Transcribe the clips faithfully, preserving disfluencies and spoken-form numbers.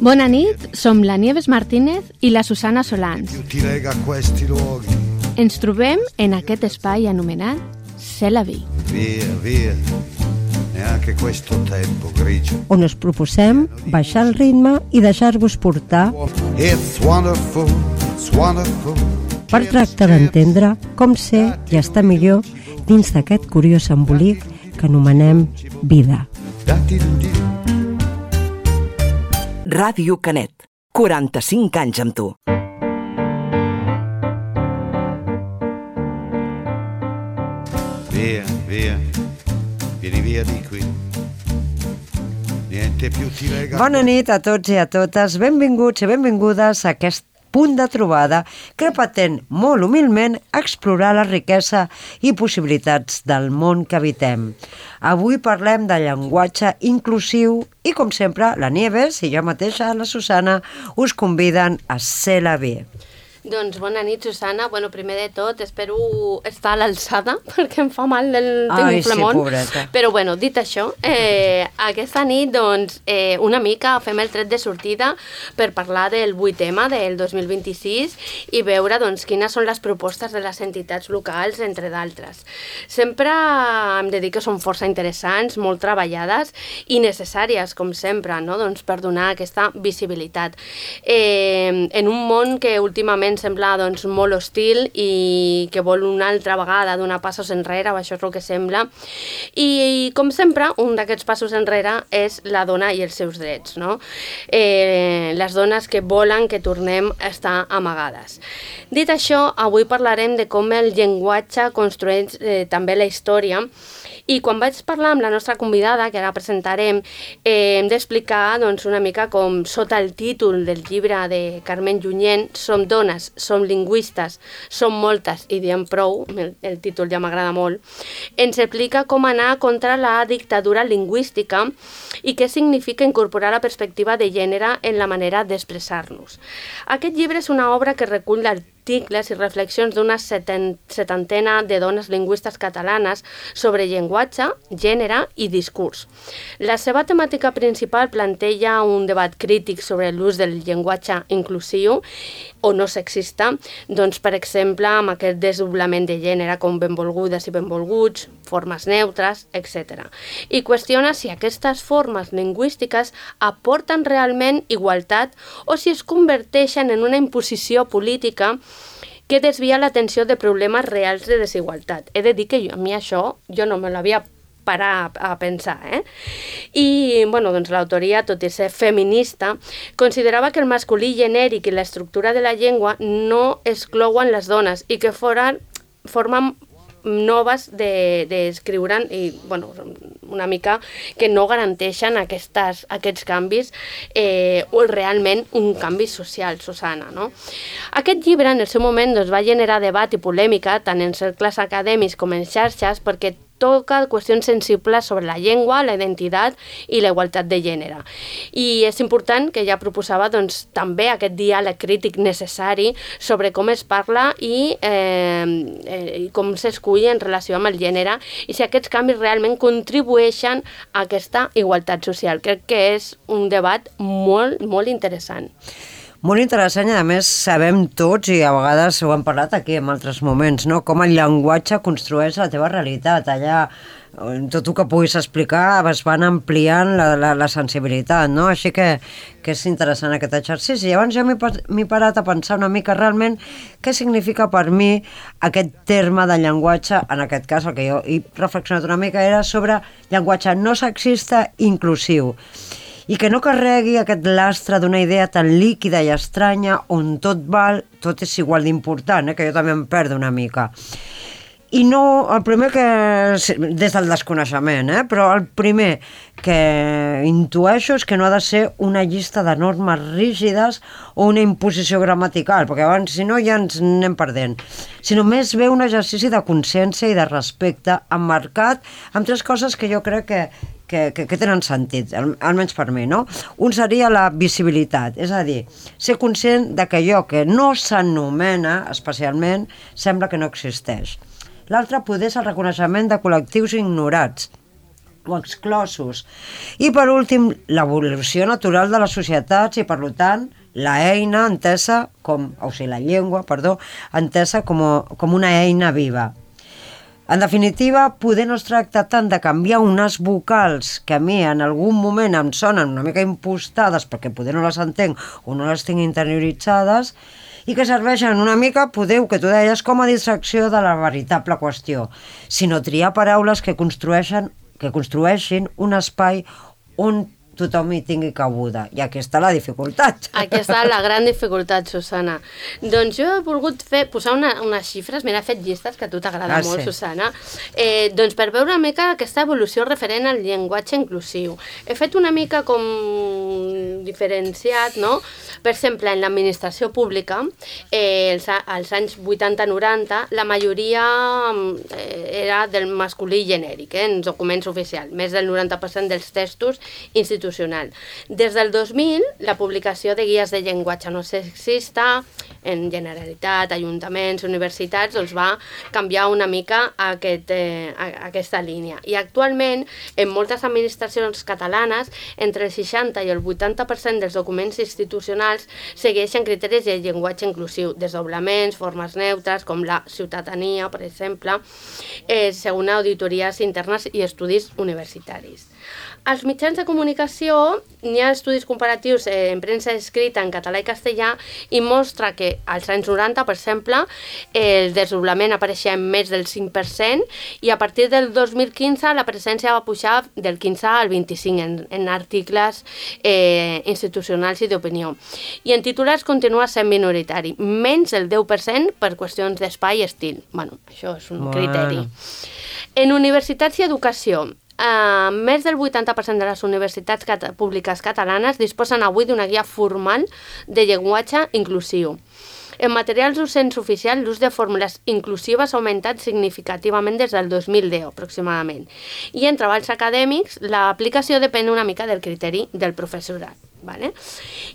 Bona nit, som la Nieves Martínez i la Susana Solans. Ens trobem en aquest espai anomenat C'est la vie. Via, via, neanche questo tempo grigio. On us proposem baixar el ritme i deixar-vos portar It's wonderful, it's wonderful. per tractar d'entendre com ser i estar millor dins d'aquest curiós embolic que anomenem vida. Ràdio Canet, quaranta-cinc anys amb tu. Via, via, vieni via di qui. Niente più ti lega. Bona nit a tots i a totes, benvinguts i benvingudes a aquest punt de trobada que pretén molt humilment explorar la riquesa i possibilitats del món que habitem. Avui parlem de llenguatge inclusiu i, com sempre, la Nieves i jo mateixa, la Susana, us conviden a ser la vie. Doncs bona nit, Susana. Bueno, primer de tot, espero estar a l'alçada, perquè em fa mal el Ai, sí, flemón. pobreta. Però bueno, dit això, eh, aquesta nit, doncs, eh, una mica fem el tret de sortida per parlar del vuit ema del dos mil vint-i-sis i veure, doncs, quines són les propostes de les entitats locals, entre d'altres. Sempre hem de dir que són força interessants, molt treballades i necessàries, com sempre, no? Doncs, per donar aquesta visibilitat. Eh, en un món que últimament sembla doncs, molt hostil i que vol una altra vegada donar passos enrere, això és el que sembla. I, com sempre, un d'aquests passos enrere és la dona i els seus drets, no? Eh, les dones que volen que tornem a estar amagades. Dit això, avui parlarem de com el llenguatge construeix eh, també la història. I quan vaig parlar amb la nostra convidada, que ara presentarem, eh, hem d'explicar doncs, una mica com sota el títol del llibre de Carmen Junyent, Som dones, som lingüistes, som moltes i diem prou, el, el títol ja m'agrada molt, ens explica com anar contra la dictadura lingüística i què significa incorporar la perspectiva de gènere en la manera d'expressar-nos. Aquest llibre és una obra que recull articles i reflexions d'una setantena de dones lingüistes catalanes sobre llenguatge, gènere i discurs. La seva temàtica principal planteja un debat crític sobre l'ús del llenguatge inclusiu o no sexista, doncs, per exemple, amb aquest desdoblament de gènere com benvolgudes i benvolguts, formes neutres, etcètera. I qüestiona si aquestes formes lingüístiques aporten realment igualtat o si es converteixen en una imposició política que desvia l'atenció de problemes reals de desigualtat. He de dir que jo, a mi això jo no me l'havia parar a pensar, eh? I, bueno, doncs l'autoria, tot i ser feminista, considerava que el masculí genèric i l'estructura de la llengua no exclouen les dones i que foren, formen noves d'escriure'n de, i, bueno, una mica que no garanteixen aquestes, aquests canvis eh, o realment un canvi social, Susana, no? Aquest llibre, en el seu moment, doncs, va generar debat i polèmica tant en cercles acadèmics com en xarxes perquè toca qüestions sensibles sobre la llengua, la identitat i la igualtat de gènere. I és important que ja proposava doncs, també aquest diàleg crític necessari sobre com es parla i, eh, eh, com s'escull en relació amb el gènere i si aquests canvis realment contribueixen a aquesta igualtat social. Crec que és un debat molt, molt interessant. Molt interessant i, a més, sabem tots, i a vegades ho hem parlat aquí en altres moments, no? Com el llenguatge construeix la teva realitat. Allà, tot el que puguis explicar, es van ampliant la, la, la sensibilitat, no? Així que, que és interessant aquest exercici. I abans jo m'he parat a pensar una mica realment què significa per mi aquest terme de llenguatge, en aquest cas el que jo he reflexionat una mica era sobre llenguatge no sexista inclusiu. I que no carregui aquest lastre d'una idea tan líquida i estranya on tot val, tot és igual d'important, eh? Que jo també em perdo una mica. I no, el primer que, des del desconeixement, eh? Però el primer que intueixo és que no ha de ser una llista de normes rígides o una imposició gramatical, perquè abans, si no, ja ens anem perdent, sinó més bé un exercici de consciència i de respecte emmarcat amb tres coses que jo crec que Que, que, que tenen sentit, almenys per mi, no? Un seria la visibilitat, és a dir, ser conscient de que allò que no s'anomena especialment sembla que no existeix. L'altre poder és el reconeixement de col·lectius ignorats, o exclosos. I per últim, l'evolució natural de les societats i, per tant, la eina entesa com, o sigui, la llengua, perdó, entesa com, com una eina viva. En definitiva, poder no es tracta tant de canviar unes vocals que a mi en algun moment em sonen una mica impostades perquè poder no les entenc o no les tinc interioritzades, i que serveixen una mica, podeu, que tu deies, com a distracció de la veritable qüestió, sinó triar paraules que construeixen, que construeixin un espai on tothom hi tingui cabuda. I aquí està la dificultat. Aquí està la gran dificultat, Susana. Doncs jo he volgut fer, posar una, unes xifres, mira, he fet llistes, que a tu t'agrada ah, molt, sí. Susana, eh, doncs per veure una mica aquesta evolució referent al llenguatge inclusiu. He fet una mica com diferenciat, no? Per exemple, en l'administració pública, eh, els, als anys vuitanta noranta, la majoria eh, era del masculí genèric, eh, en documents oficials, més del noranta per cent dels textos institucionals. Des del dos mil, la publicació de guies de llenguatge no sexista en Generalitat, ajuntaments, universitats, doncs va canviar una mica aquest, eh, aquesta línia. I actualment, en moltes administracions catalanes, entre el seixanta i el vuitanta per cent dels documents institucionals segueixen criteris de llenguatge inclusiu, desdoblaments, formes neutres, com la ciutadania, per exemple, eh, segons auditories internes i estudis universitaris. Als mitjans de comunicació n'hi ha estudis comparatius eh, en premsa escrita en català i castellà i mostra que als anys noranta, per exemple, el desdoblament apareixia en més del cinc per cent i a partir del dos mil quinze la presència va pujar del quinze al vint-i-cinc en, en articles eh, institucionals i d'opinió. I en titulars continua sent minoritari, menys del deu per cent per qüestions d'espai i estil. Bueno, això és un bueno. criteri. En universitats i educació, Uh, més del vuitanta per cent de les universitats cat- públiques catalanes disposen avui d'una guia formal de llenguatge inclusiu. En materials docents oficials, l'ús de fórmules inclusives ha augmentat significativament des del dos mil deu, aproximadament. I en treballs acadèmics, l'aplicació depèn una mica del criteri del professorat. Vale?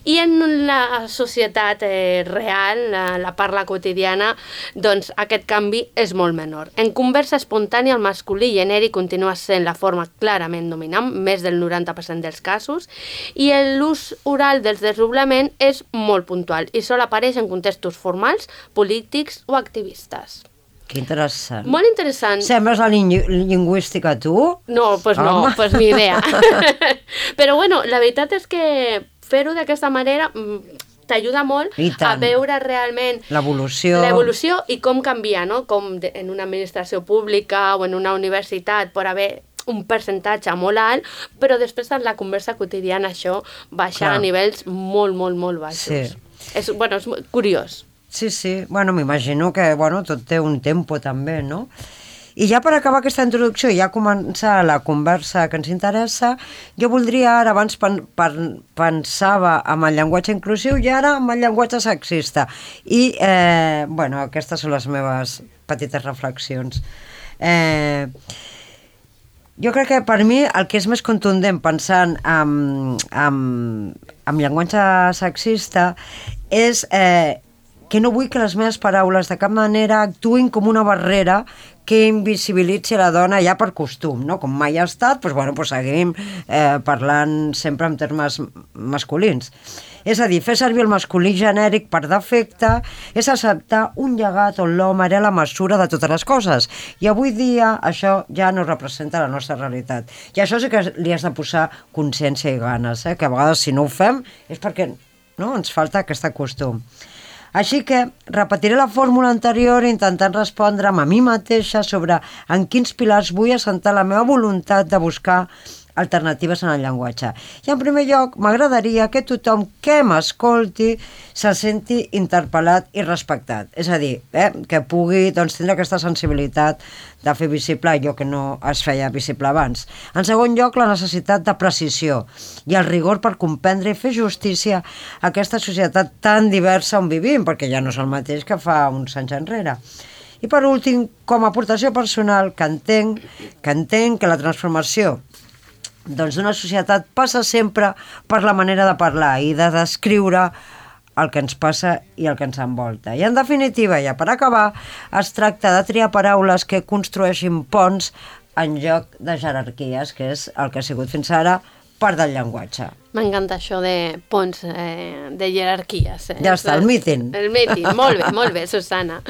I en la societat eh, real, la, la parla quotidiana, doncs aquest canvi és molt menor. En conversa espontània, el masculí genèric continua sent la forma clarament dominant, més del noranta per cent dels casos, i l'ús oral dels desdoblament és molt puntual i sol apareix en contextos formals, polítics o activistes. Que interessant. Molt interessant. Sembles la lingü lingüística, tu? No, doncs pues no, doncs pues ni idea. Però bueno, la veritat és que fer-ho d'aquesta manera t'ajuda molt a veure realment l'evolució l'evolució i com canvia, no? Com de, en una administració pública o en una universitat pot haver un percentatge molt alt, però després en la conversa quotidiana això baixa Clar. a nivells molt, molt, molt baixos. Sí. És, bueno, és curiós. Sí, sí. Bueno, m'imagino que bueno, tot té un tempo també, no? I ja per acabar aquesta introducció i ja començar la conversa que ens interessa, jo voldria ara, abans pen pen pensava amb el llenguatge inclusiu i ara amb el llenguatge sexista. I, eh, bueno, aquestes són les meves petites reflexions. Eh, jo crec que per mi el que és més contundent pensant en, en, en llenguatge sexista és eh, que no vull que les meves paraules de cap manera actuïn com una barrera que invisibilitzi la dona ja per costum, no? Com mai ha estat, doncs, bueno, doncs seguim eh, parlant sempre en termes masculins. És a dir, fer servir el masculí genèric per defecte és acceptar un llegat on l'home era la mesura de totes les coses. I avui dia això ja no representa la nostra realitat. I això sí que li has de posar consciència i ganes, eh? Que a vegades si no ho fem és perquè no, ens falta aquest costum. Així que repetiré la fórmula anterior intentant respondre'm a mi mateixa sobre en quins pilars vull assentar la meva voluntat de buscar alternatives en el llenguatge. I en primer lloc, m'agradaria que tothom que m'escolti se senti interpel·lat i respectat. És a dir, eh, que pugui doncs, tindre aquesta sensibilitat de fer visible allò que no es feia visible abans. En segon lloc, la necessitat de precisió i el rigor per comprendre i fer justícia a aquesta societat tan diversa on vivim, perquè ja no és el mateix que fa uns anys enrere. I per últim, com a aportació personal, que entenc que, entenc que la transformació doncs d'una societat passa sempre per la manera de parlar i de descriure el que ens passa i el que ens envolta. I en definitiva, ja per acabar, es tracta de triar paraules que construeixin ponts en lloc de jerarquies, que és el que ha sigut fins ara part del llenguatge. M'encanta això de ponts eh, de jerarquies. Eh? Ja està, el míting. El míting, molt bé, molt bé, Susana.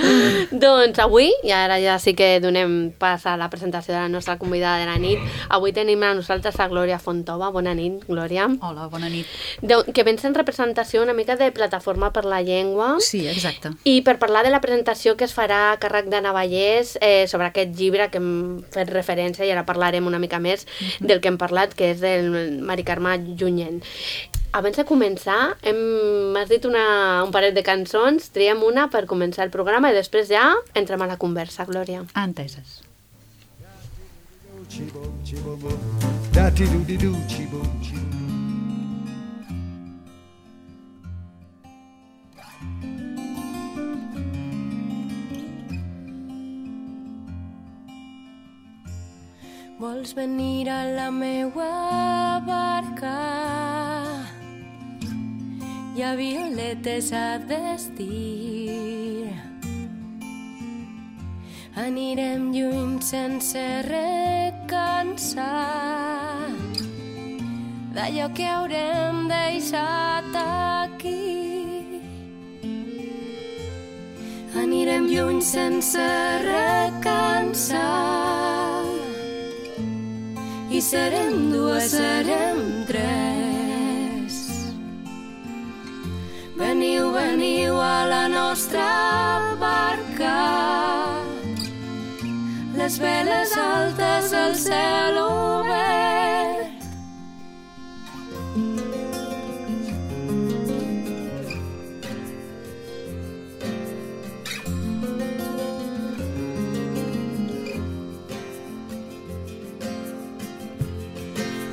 Doncs avui, i ara ja sí que donem pas a la presentació de la nostra convidada de la nit, avui tenim a nosaltres a Glòria Fontova. Bona nit, Glòria. Hola, bona nit. De, que vens en representació una mica de Plataforma per la Llengua. Sí, exacte. I per parlar de la presentació que es farà a càrrec d'Anna Vallès eh, sobre aquest llibre que hem fet referència, i ara parlarem una mica més uh-huh. del que hem parlat, que és del Mari Carme Junyent. Abans de començar, hem, m'has dit una, un parell de cançons, triem una per començar el programa i després ja entrem a la conversa, Glòria. Enteses. Vols venir a la meua barca? Hi ha violetes a vestir. Anirem lluny sense recansar d'allò que haurem deixat aquí. Anirem lluny sense recansar i serem dues, serem tres. Veniu, veniu a la nostra barca, les veles altes, el cel obert.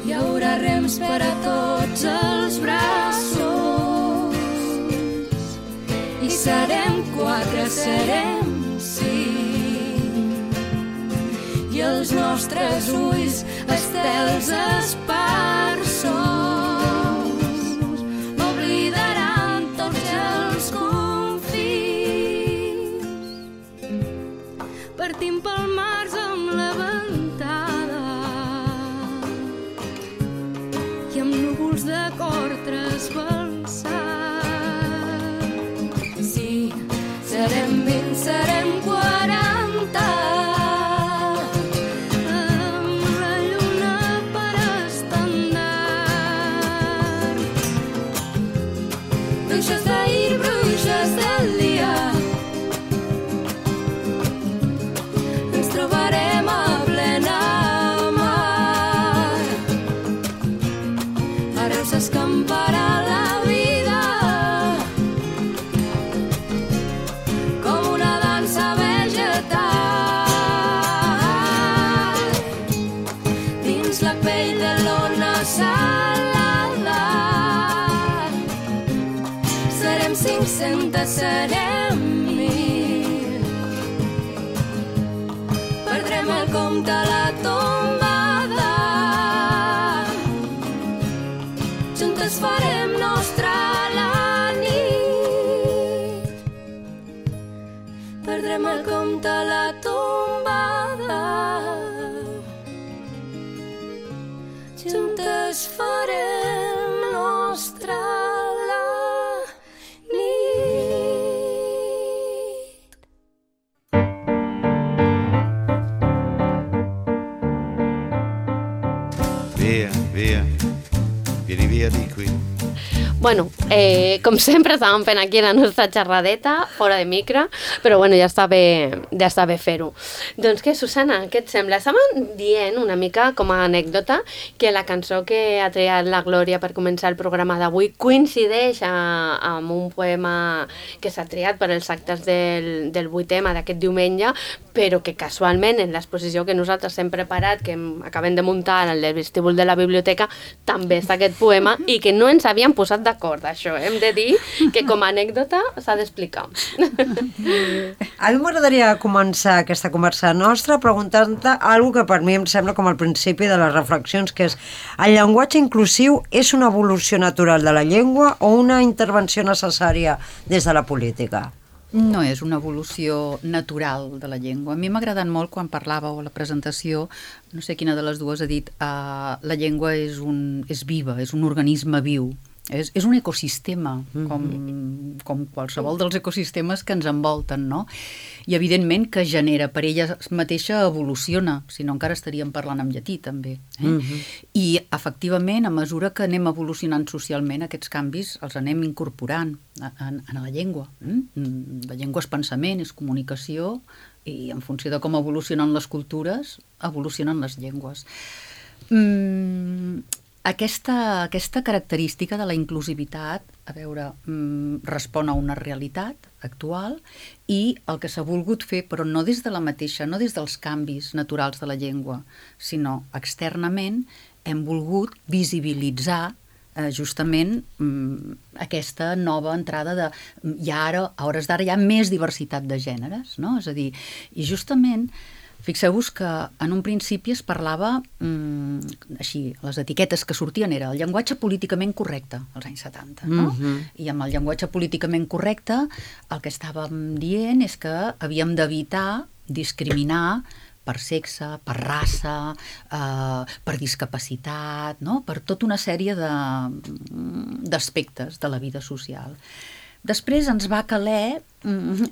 Hi haurà rems per a tots els braços i serem quatre, serem cinc, i els nostres ulls estels esparsos oblidaran tots els confins. Partim pel març amb la ventada i amb núvols de cor trasbalsat. Sí, serem vint, serem quaranta, amb la lluna per estendard. Bruixes d'ahir, bruixes del dia, ens trobarem a plena mar. Ara s'escamparà la vida com una dansa vegetal dins la pell de l'ona salada. Serem cinc-centes, serem mil, perdrem el compte a la tombada, juntes farem nostra la nit, perdrem el compte a la tombada, juntes farem nostra la nit. Via, via, vieni via di qui. Bueno, eh, com sempre estàvem fent aquí la nostra xerradeta, fora de micro, però bueno, ja està bé, ja està bé fer-ho. Doncs què, Susana, què et sembla? Estàvem dient una mica com a anècdota que la cançó que ha triat la Glòria per començar el programa d'avui coincideix a, amb un poema que s'ha triat per als actes del, del vuitema d'aquest diumenge, però que casualment en l'exposició que nosaltres hem preparat, que hem, acabem de muntar en el vestíbul de la biblioteca, també està aquest poema i que no ens havíem posat d'acord. D'acord, això, hem de dir que com a anècdota s'ha d'explicar. A mi m'agradaria començar aquesta conversa nostra preguntant-te alguna que per mi em sembla com al principi de les reflexions, que és: el llenguatge inclusiu és una evolució natural de la llengua o una intervenció necessària des de la política? No és una evolució natural de la llengua. A mi m'ha agradat molt quan parlàveu a la presentació, no sé quina de les dues ha dit, uh, la llengua és, un, és viva, és un organisme viu. És, és un ecosistema, com, com qualsevol dels ecosistemes que ens envolten, no? I evidentment que genera, per ella mateixa evoluciona, si no encara estaríem parlant en llatí també. Eh? Mm-hmm. I efectivament, a mesura que anem evolucionant socialment, aquests canvis els anem incorporant en, en la llengua. Mm? La llengua és pensament, és comunicació, i en funció de com evolucionen les cultures, evolucionen les llengües. Mm, Aquesta, aquesta característica de la inclusivitat, a veure, mm, respon a una realitat actual i el que s'ha volgut fer, però no des de la mateixa, no des dels canvis naturals de la llengua, sinó externament hem volgut visibilitzar eh, justament mm, aquesta nova entrada de... Hi ha ara, a hores d'ara, hi ha més diversitat de gèneres, no? És a dir, i justament... Fixeu-vos que en un principi es parlava, mmm, així, les etiquetes que sortien era el llenguatge políticament correcte, als anys setanta, no? Mm-hmm. I amb el llenguatge políticament correcte el que estàvem dient és que havíem d'evitar discriminar per sexe, per raça, eh, per discapacitat, no? Per tota una sèrie de, d'aspectes de la vida social. Després ens va caler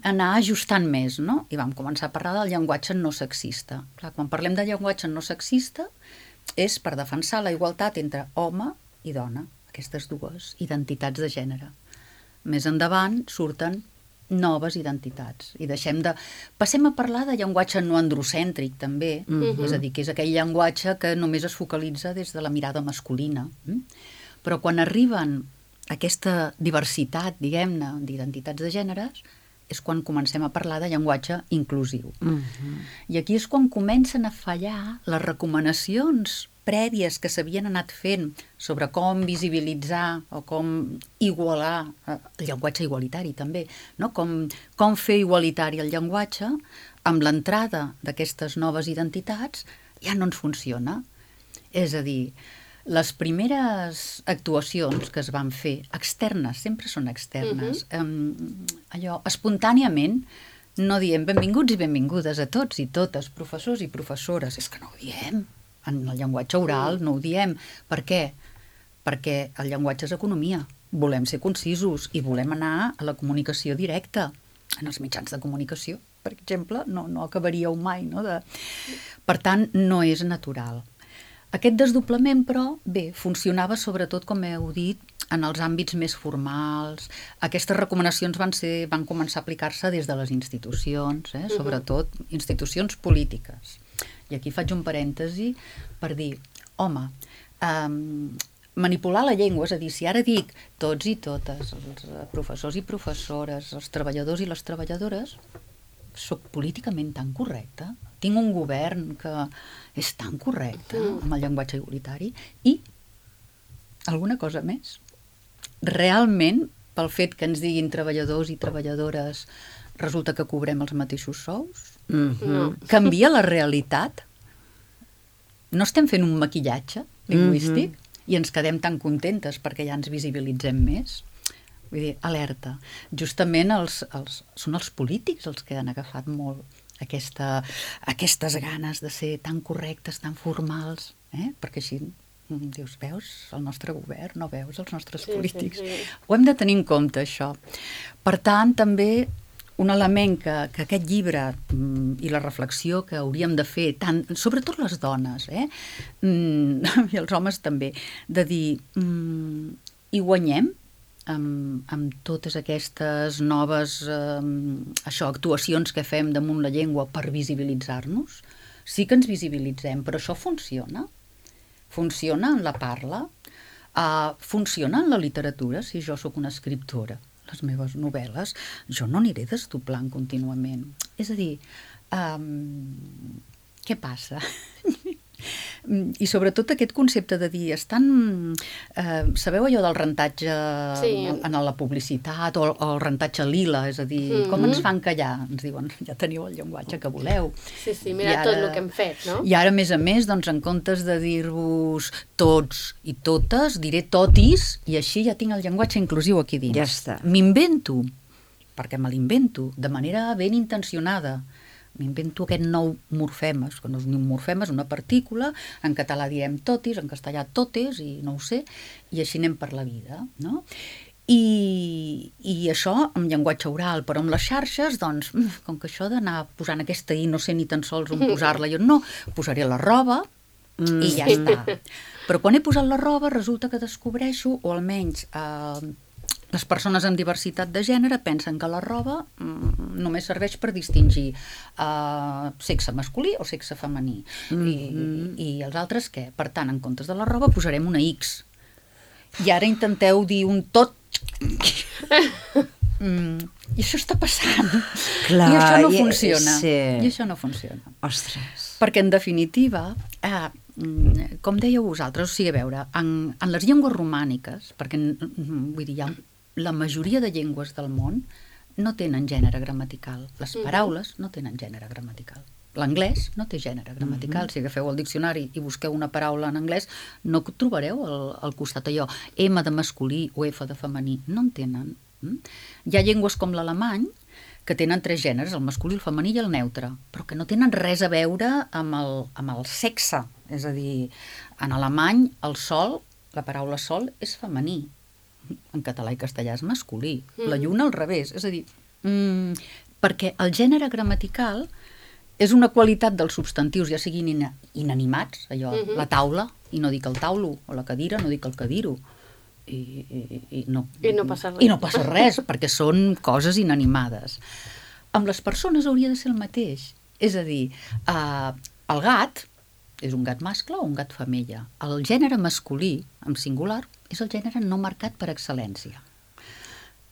anar ajustant més, no? I vam començar a parlar del llenguatge no sexista. Clar, quan parlem de llenguatge no sexista és per defensar la igualtat entre home i dona, aquestes dues identitats de gènere. Més endavant surten noves identitats i deixem de... Passem a parlar de llenguatge no androcèntric també, mm-hmm. és a dir, que és aquell llenguatge que només es focalitza des de la mirada masculina. Però quan arriben aquesta diversitat, diguem-ne, d'identitats de gèneres, és quan comencem a parlar de llenguatge inclusiu. Uh-huh. I aquí és quan comencen a fallar les recomanacions prèvies que s'havien anat fent sobre com visibilitzar o com igualar el llenguatge igualitari també, no? com, com fer igualitari el llenguatge, amb l'entrada d'aquestes noves identitats ja no ens funciona. És a dir, les primeres actuacions que es van fer, externes, sempre són externes, uh-huh. um, allò, espontàniament, no diem benvinguts i benvingudes a tots i totes, professors i professores, és que no ho diem, en el llenguatge oral no ho diem. Per què? Perquè el llenguatge és economia, volem ser concisos i volem anar a la comunicació directa, en els mitjans de comunicació, per exemple, no, no acabaríeu mai, no? De... Per tant, no és natural. Aquest desdoblament, però, bé, funcionava sobretot, com heu dit, en els àmbits més formals. Aquestes recomanacions van, ser, van començar a aplicar-se des de les institucions, eh? Sobretot institucions polítiques. I aquí faig un parèntesi per dir, home, um, manipular la llengua, és a dir, si ara dic tots i totes, els professors i professores, els treballadors i les treballadores, soc políticament tan correcta, tinc un govern que és tan correcte amb el llenguatge igualitari i alguna cosa més. Realment, pel fet que ens diguin treballadors i treballadores, resulta que cobrem els mateixos sous? Mm-hmm. Canvia la realitat? No estem fent un maquillatge lingüístic mm-hmm. i ens quedem tan contentes perquè ja ens visibilitzem més? Vull dir, alerta. Justament els, els, són els polítics els que han agafat molt aquesta, aquestes ganes de ser tan correctes, tan formals, eh? Perquè així dius, veus el nostre govern, no veus els nostres sí, polítics. Sí, sí. Ho hem de tenir en compte, això. Per tant, també un element que, que aquest llibre mm, i la reflexió que hauríem de fer, tant, sobretot les dones, eh? mm, i els homes també, de dir, mm, hi guanyem, Amb, amb totes aquestes noves eh, això, actuacions que fem damunt la llengua per visibilitzar-nos. Sí que ens visibilitzem, però això funciona. Funciona en la parla, uh, funciona en la literatura. Si jo sóc una escriptora, les meves novel·les, jo no aniré desdoblant contínuament. És a dir, um, què passa? I sobretot aquest concepte de dir, estan, eh, sabeu allò del rentatge sí. en la publicitat o, o el rentatge lila, és a dir, mm-hmm. com ens fan callar? Ens diuen, ja teniu el llenguatge que voleu. Sí, sí, mira ara, tot el que hem fet, no? I ara, a més a més, doncs, en comptes de dir-vos tots i totes, diré totis, i així ja tinc el llenguatge inclusiu aquí dins. Ja està. M'invento perquè me l'invento, de manera ben intencionada. M'invento aquest nou morfema, que no és ni un morfema, és una partícula, en català diem totis, en castellà totes, i no ho sé, i així anem per la vida, no? I, i això amb llenguatge oral, però amb les xarxes, doncs, com que això d'anar posant aquesta i no sé ni tan sols on posar-la, jo no, posaré la roba mm. i ja està. Però quan he posat la roba resulta que descobreixo, o almenys eh, les persones amb diversitat de gènere pensen que la roba mm, només serveix per distingir uh, sexe masculí o sexe femení. Mm-hmm. I, I els altres què? Per tant, en comptes de la roba posarem una X. I ara intenteu dir un tot. mm, I això està passant. Clar, I això no i, funciona. Sí. I això no funciona. Ostres. Perquè, en definitiva, eh, com dèieu vosaltres, o sigui, a veure, en, en les llengües romàniques, perquè vull dir, hi ha la majoria de llengües del món no tenen gènere gramatical. Les paraules no tenen gènere gramatical. L'anglès no té gènere gramatical. Si agafeu el diccionari i busqueu una paraula en anglès, no trobareu al, al costat allò M de masculí o F de femení. No en tenen. Hi ha llengües com l'alemany que tenen tres gèneres, el masculí, el femení i el neutre, però que no tenen res a veure amb el, amb el sexe. És a dir, en alemany el sol, la paraula sol, és femení. En català i castellà és masculí. Mm. La lluna al revés. És a dir, mm, perquè el gènere gramatical és una qualitat dels substantius, ja siguin in inanimats, allò, mm-hmm. la taula, i no dic el taulo, o la cadira, no dic el cadiro. I, i, i, no, I no passa res. I no passa res, perquè són coses inanimades. Amb les persones hauria de ser el mateix. És a dir, eh, el gat és un gat mascle o un gat femella. El gènere masculí, en singular, és el gènere no marcat per excel·lència.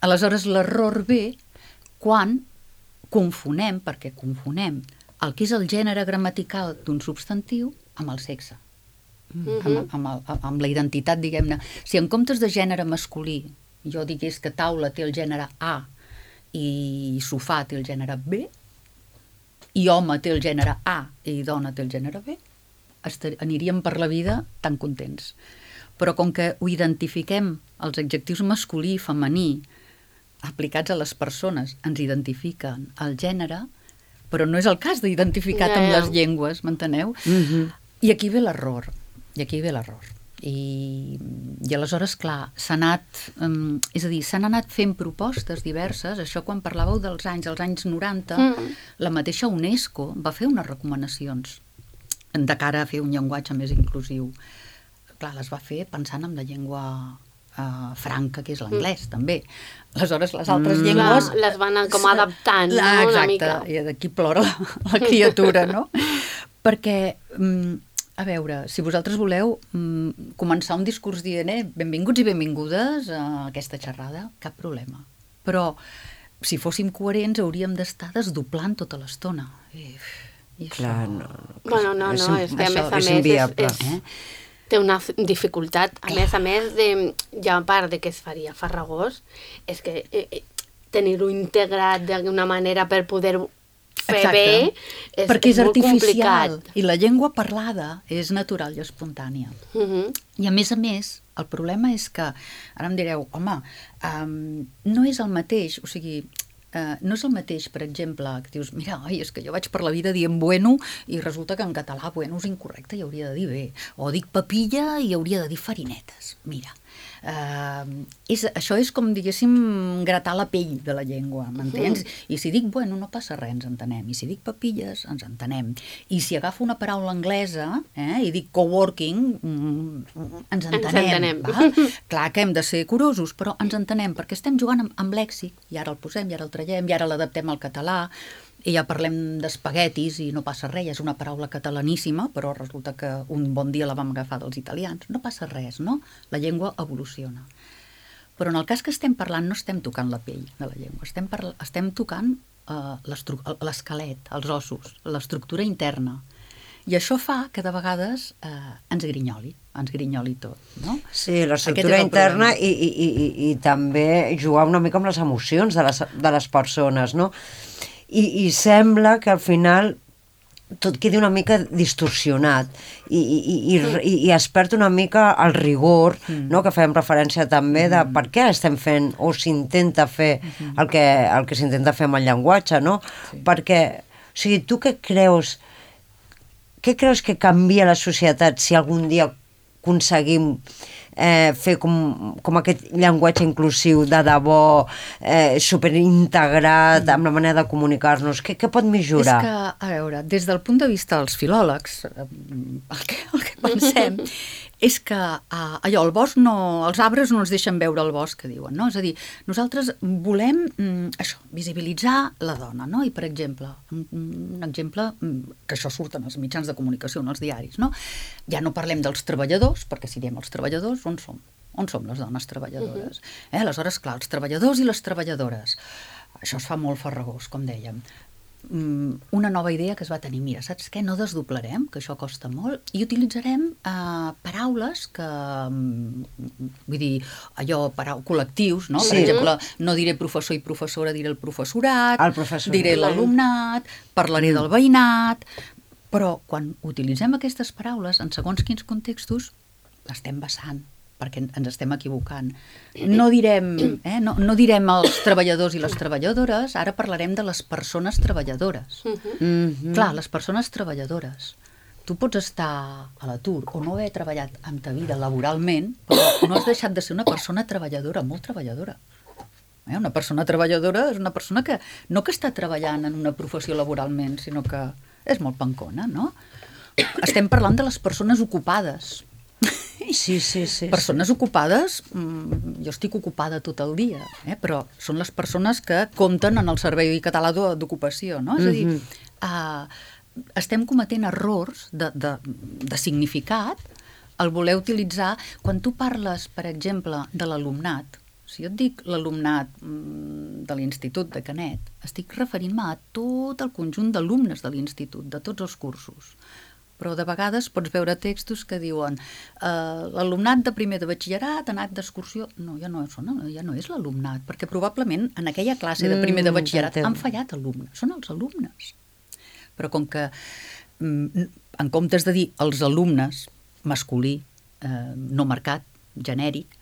Aleshores, l'error ve quan confonem, perquè confonem el que és el gènere gramatical d'un substantiu amb el sexe, mm-hmm. amb, amb, el, amb la identitat, diguem-ne. Si en comptes de gènere masculí jo digués que taula té el gènere A i sofà té el gènere B, i home té el gènere A i dona té el gènere B, aniríem per la vida tan contents. Però com que ho identifiquem, els adjectius masculí i femení aplicats a les persones ens identifiquen el gènere, però no és el cas d'identificat yeah. amb les llengües, m'enteneu? Mm-hmm. I aquí ve l'error, i aquí ve l'error. I, i aleshores, clar, s'ha anat, um, és a dir, s'han anat fent propostes diverses, això quan parlàveu dels anys, als anys noranta, mm. la mateixa UNESCO va fer unes recomanacions de cara a fer un llenguatge més inclusiu. Clar, les va fer pensant en la llengua uh, franca, que és l'anglès, mm. també. Aleshores, les altres mm. llengües... Clar, les van com adaptant, la, no? Exacte, Una mica. I d'aquí plora la, la criatura, no? Perquè, um, a veure, si vosaltres voleu um, començar un discurs dient eh, benvinguts i benvingudes a aquesta xerrada, cap problema. Però, si fóssim coherents, hauríem d'estar desdoblant tota l'estona. I, i Clar, això... no. Bueno, no, no, és que a més a més... És inviable. És, és, eh? Té una dificultat, a més a més, de, ja a part de que es faria farragós, és que eh, tenir-ho integrat d'alguna manera per poder fer Exacte. Bé és, perquè és, és molt artificial complicat. I la llengua parlada és natural i espontània. Uh-huh. I a més a més, el problema és que, ara em direu, home, um, no és el mateix, o sigui, Uh, no és el mateix, per exemple, que dius, mira, oi, és que jo vaig per la vida dient bueno i resulta que en català bueno és incorrecte i hauria de dir bé. O dic papilla i hauria de dir farinetes. Mira, uh, és, això és com, diguéssim, gratar la pell de la llengua, m'entens? Mm. I si dic bueno no passa res, ens entenem. I si dic papilles, ens entenem. I si agafo una paraula anglesa eh, i dic coworking, mm, ens entenem. Ens entenem. Clar que hem de ser curosos, però ens entenem, perquè estem jugant amb, amb lèxic, i ara el posem, i ara el traiem, i ara l'adaptem al català, i ja parlem d'espaguetis i no passa res, és una paraula catalaníssima, però resulta que un bon dia la vam agafar dels italians. No passa res, no? La llengua evoluciona. Però en el cas que estem parlant no estem tocant la pell de la llengua, estem, estem tocant uh, l'esquelet, els ossos, l'estructura interna. I això fa que de vegades eh, ens grinyoli, ens grinyoli tot, no? Sí, l'estructura interna i, i, i, i també jugar una mica amb les emocions de les, de les persones, no? I, i sembla que al final tot quedi una mica distorsionat i, i, i, i, i es perd una mica el rigor, mm. no? Que fèiem referència també de per què estem fent o s'intenta fer el que, el que s'intenta fer amb el llenguatge, no? Sí. Perquè, o sigui, tu què creus, què creus que canvia la societat si algun dia aconseguim eh, fer com, com aquest llenguatge inclusiu de debò, eh, superintegrat mm. amb la manera de comunicar-nos? Què, què pot millorar? És que, a veure, des del punt de vista dels filòlegs, el que, el que pensem és que uh, allò, el bosc no, els arbres no ens deixen veure el bosc, que diuen, no? És a dir, nosaltres volem mm, això, visibilitzar la dona, no? I, per exemple, un, un exemple que això surt en els mitjans de comunicació, en els diaris, no? Ja no parlem dels treballadors, perquè si diem els treballadors, on som? On som les dones treballadores? Uh-huh. eh? Aleshores, clar, els treballadors i les treballadores. Això es fa molt farragós, com dèiem. Una nova idea que es va tenir, mira, saps què? No desdoblarem, que això costa molt, i utilitzarem eh, paraules que, vull dir, allò, parau, col·lectius, no? Sí. Per exemple, no diré professor i professora, diré el professorat, el professorat. Diré l'alumnat, parlaré mm. del veïnat, però quan utilitzem aquestes paraules, en segons quins contextos, l'estem vessant, perquè ens estem equivocant. No direm, eh, no, no direm els treballadors i les treballadores, ara parlarem de les persones treballadores. Uh-huh. Mm-hmm. Clar, les persones treballadores. Tu pots estar a l'atur o no haver treballat en ta vida laboralment, però no has deixat de ser una persona treballadora, molt treballadora. Eh, una persona treballadora és una persona que no que està treballant en una professió laboralment, sinó que és molt pancona, no? Estem parlant de les persones ocupades. Sí, sí, sí. Persones sí. ocupades, jo estic ocupada tot el dia, eh? Però són les persones que compten en el Servei Català d'Ocupació, no? És a dir, mm-hmm. uh, estem cometent errors de, de, de significat al voler utilitzar, quan tu parles, per exemple, de l'alumnat, si jo et dic l'alumnat de l'Institut de Canet, estic referint-me a tot el conjunt d'alumnes de l'Institut, de tots els cursos. Però de vegades pots veure textos que diuen eh, l'alumnat de primer de batxillerat ha anat d'excursió. No, ja no, són, ja no és l'alumnat, perquè probablement en aquella classe de primer de batxillerat mm, han fallat alumnes. Són els alumnes. Però com que, mm, en comptes de dir els alumnes, masculí, eh, no marcat, genèric,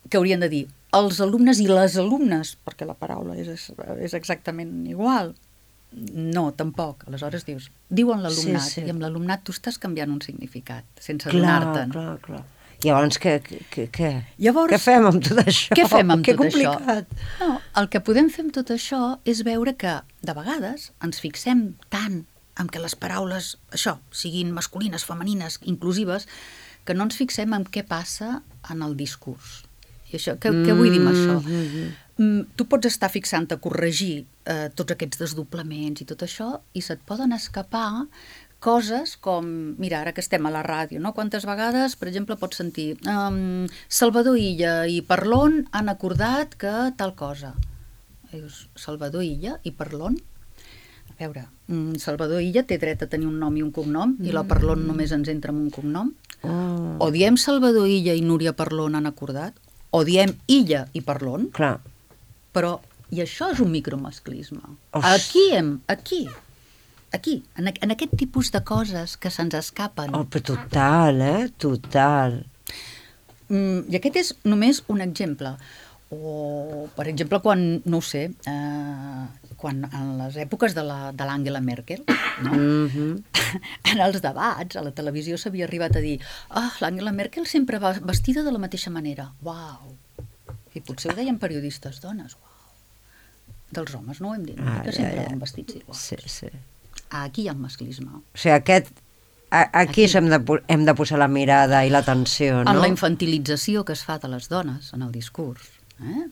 que haurien de dir els alumnes i les alumnes, perquè la paraula és, és exactament igual. No, tampoc. Aleshores dius, diuen l'alumnat, sí, sí. I amb l'alumnat tu estàs canviant un significat, sense donar-te'n. Clar, clar, clar. I llavors què, què, què? Llavors, què fem amb tot això? Què fem amb que tot complicat. Això? No, el que podem fer amb tot això és veure que, de vegades, ens fixem tant en que les paraules, això, siguin masculines, femenines, inclusives, que no ens fixem en què passa en el discurs. I això, què, què vull dir amb això? Mm-hmm. Tu pots estar fixant a corregir eh, tots aquests desdoblaments i tot això i se't poden escapar coses com, mira, ara que estem a la ràdio, no? Quantes vegades, per exemple, pots sentir um, Salvador Illa i Parlon han acordat que tal cosa. I dius, Salvador Illa i Parlon? A veure, um, Salvador Illa té dret a tenir un nom i un cognom mm. i la Parlon només ens entra amb un cognom. Oh. O diem Salvador Illa i Núria Parlon han acordat, o diem Illa i Parlon. Clar. Però, i això és un micromasclisme. Oix. Aquí, hem, aquí, aquí, en, en aquest tipus de coses que se'ns escapen. Oh, però total, eh? Total. Mm, I aquest és només un exemple. O, per exemple, quan, no ho sé, eh, quan en les èpoques de l'Angela Merkel, no? Mm-hmm. En els debats, a la televisió s'havia arribat a dir ah, l'Angela Merkel sempre va vestida de la mateixa manera. Uau! I potser ho deien periodistes dones. Uau. Dels homes no ho hem dit, ah, que sempre ja, ja. Van vestits iguals. Sí, sí. Aquí hi ha el masclisme. O sigui, aquest, a, aquí, aquí. Hem, de, hem de posar la mirada i l'atenció, no? En la infantilització que es fa de les dones en el discurs. Eh?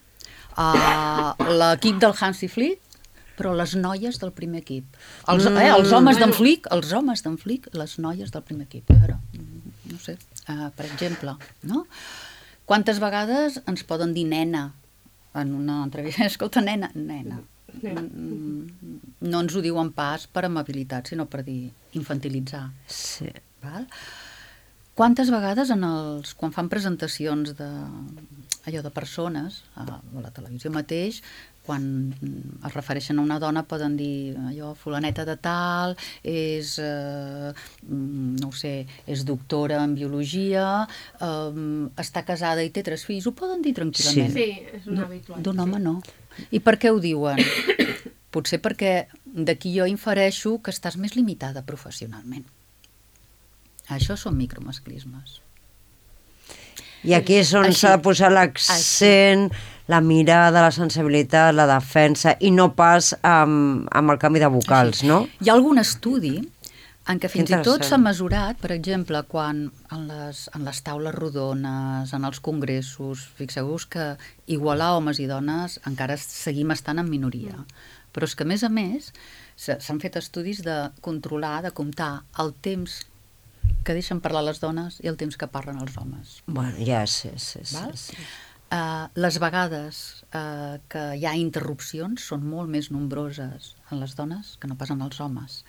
Uh, l'equip del Hansi Flick, però les noies del primer equip. Els, eh, els homes d'en Flick, els homes d'en Flick, les noies del primer equip. Però, no sé, uh, per exemple, no? Quantes vegades ens poden dir nena en una entrevista? Escolta, nena, nena. No ens ho diuen pas per amabilitat, sinó per dir infantilitzar. Sí. Val? Quantes vegades en els, quan fan presentacions de, allò de persones, a la televisió mateix, quan es refereixen a una dona poden dir allò, fulaneta de tal, és, eh, no ho sé, és doctora en biologia, eh, està casada i té tres fills, ho poden dir tranquil·lament. Sí, és una habitual. D'un home no. I per què ho diuen? Potser perquè d'aquí jo infereixo que estàs més limitada professionalment. Això són micromasclismes. I aquí és on s'ha de posar l'accent, la mirada, la sensibilitat, la defensa, i no pas amb, amb el canvi de vocals, Així. no? Hi ha algun estudi en què fins i tot Interessant. s'ha mesurat, per exemple, quan en les, en les taules rodones, en els congressos, fixeu-vos que igualar homes i dones encara seguim estant en minoria. Però és que, a més a més, s'han fet estudis de controlar, de comptar el temps que deixen parlar les dones i el temps que parlen els homes. Bueno, ja sí, sí, sí. Val? sí. Uh, les vegades uh, que hi ha interrupcions són molt més nombroses en les dones que no pas en els homes.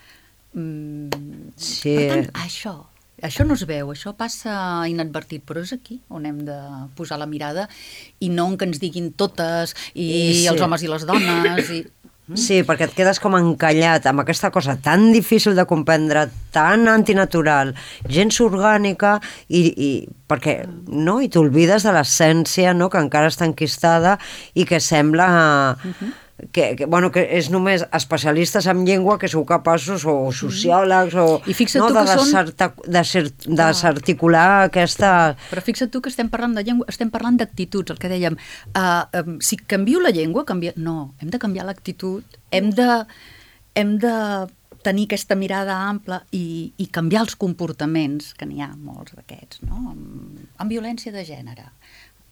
Mm, Sí. Per tant, això, això no es veu, això passa inadvertit, però és aquí on hem de posar la mirada i no en que ens diguin totes i, I sí. els homes i les dones i... Sí, perquè et quedes com encallat amb aquesta cosa tan difícil de comprendre, tan antinatural, gens orgànica, i, i perquè no, i t'oblides de l'essència, no, que encara està enquistada i que sembla uh-huh. que, que, bueno, que és només especialistes en llengua que sou capaços, o sociòlegs, o I fixa't no, tu de, que són- desarta, de desarticular aquesta... Però fixa't tu que estem parlant de llengua, estem parlant d'actituds, el que dèiem. Uh, um, si canvio la llengua, canvia... no, hem de canviar l'actitud, hem de, hem de tenir aquesta mirada ampla i, i canviar els comportaments, que n'hi ha molts d'aquests, no? Amb, amb violència de gènere.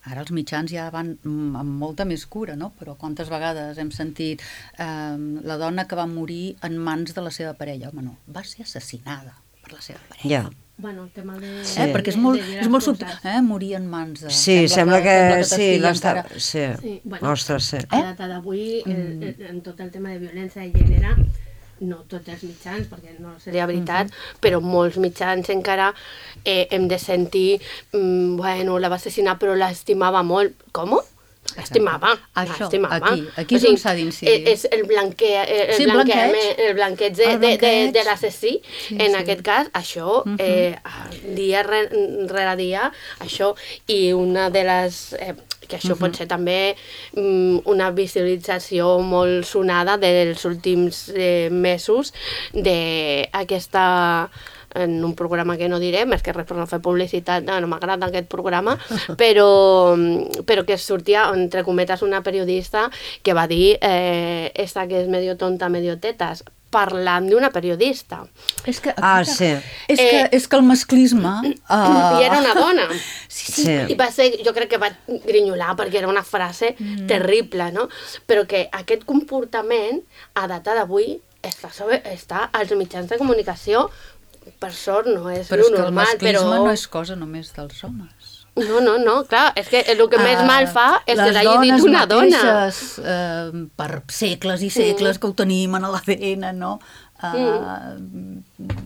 Ara els mitjans ja van amb molta més cura, no? Però quantes vegades hem sentit eh, la dona que va morir en mans de la seva parella? Home, no, va ser assassinada per la seva parella. Ja. Bueno, el tema de... Eh? Perquè és molt, és molt subtil, eh? Morir en mans de... Sí, sembla que... sembla que sí, t'estigui l'està... encara- Sí, Sí, bueno, ostres, sí. a data d'avui, el- el- en tot el tema de violència de gènere, no tots els mitjans, perquè no seria veritat, mm-hmm. però molts mitjans encara eh, hem de sentir, mm, bueno, la va assassinar però l'estimava molt. Com? L'estimava, Això, l'estimava. aquí, aquí és on s'ha d'incidir. És el, blanque, el, Sí, blanqueig, blanqueig. el blanqueig de, El de, de, blanqueig. de l'assassí. Sí, en sí. aquest cas, això, Mhm. eh, dia re- rere dia, això, i una de les... Eh, que això pot ser també mm, una visualització molt sonada dels últims eh, mesos d'aquesta, en un programa que no diré, més que res per no fer publicitat, no, no m'agrada aquest programa, però, però que sortia, entre cometes, una periodista que va dir eh, esta que és medio tonta, medio tetas, parlant d'una periodista. És que, Ah, sí. És que, Eh, és que el masclisme... Uh, I era una dona. Sí, Sí. I va ser, jo crec que va grinyolar perquè era una frase mm. terrible, no? Però que aquest comportament, a data d'avui, està, sobre, està als mitjans de comunicació, per sort no és Però lo és que el normal, masclisme però... no és cosa només dels homes. No, no, no, clar, és que el que més Ah, mal fa és que les l'hagi dit dones una dona. mateixes, eh, per segles i segles que ho tenim en l'A D N, no? Uh,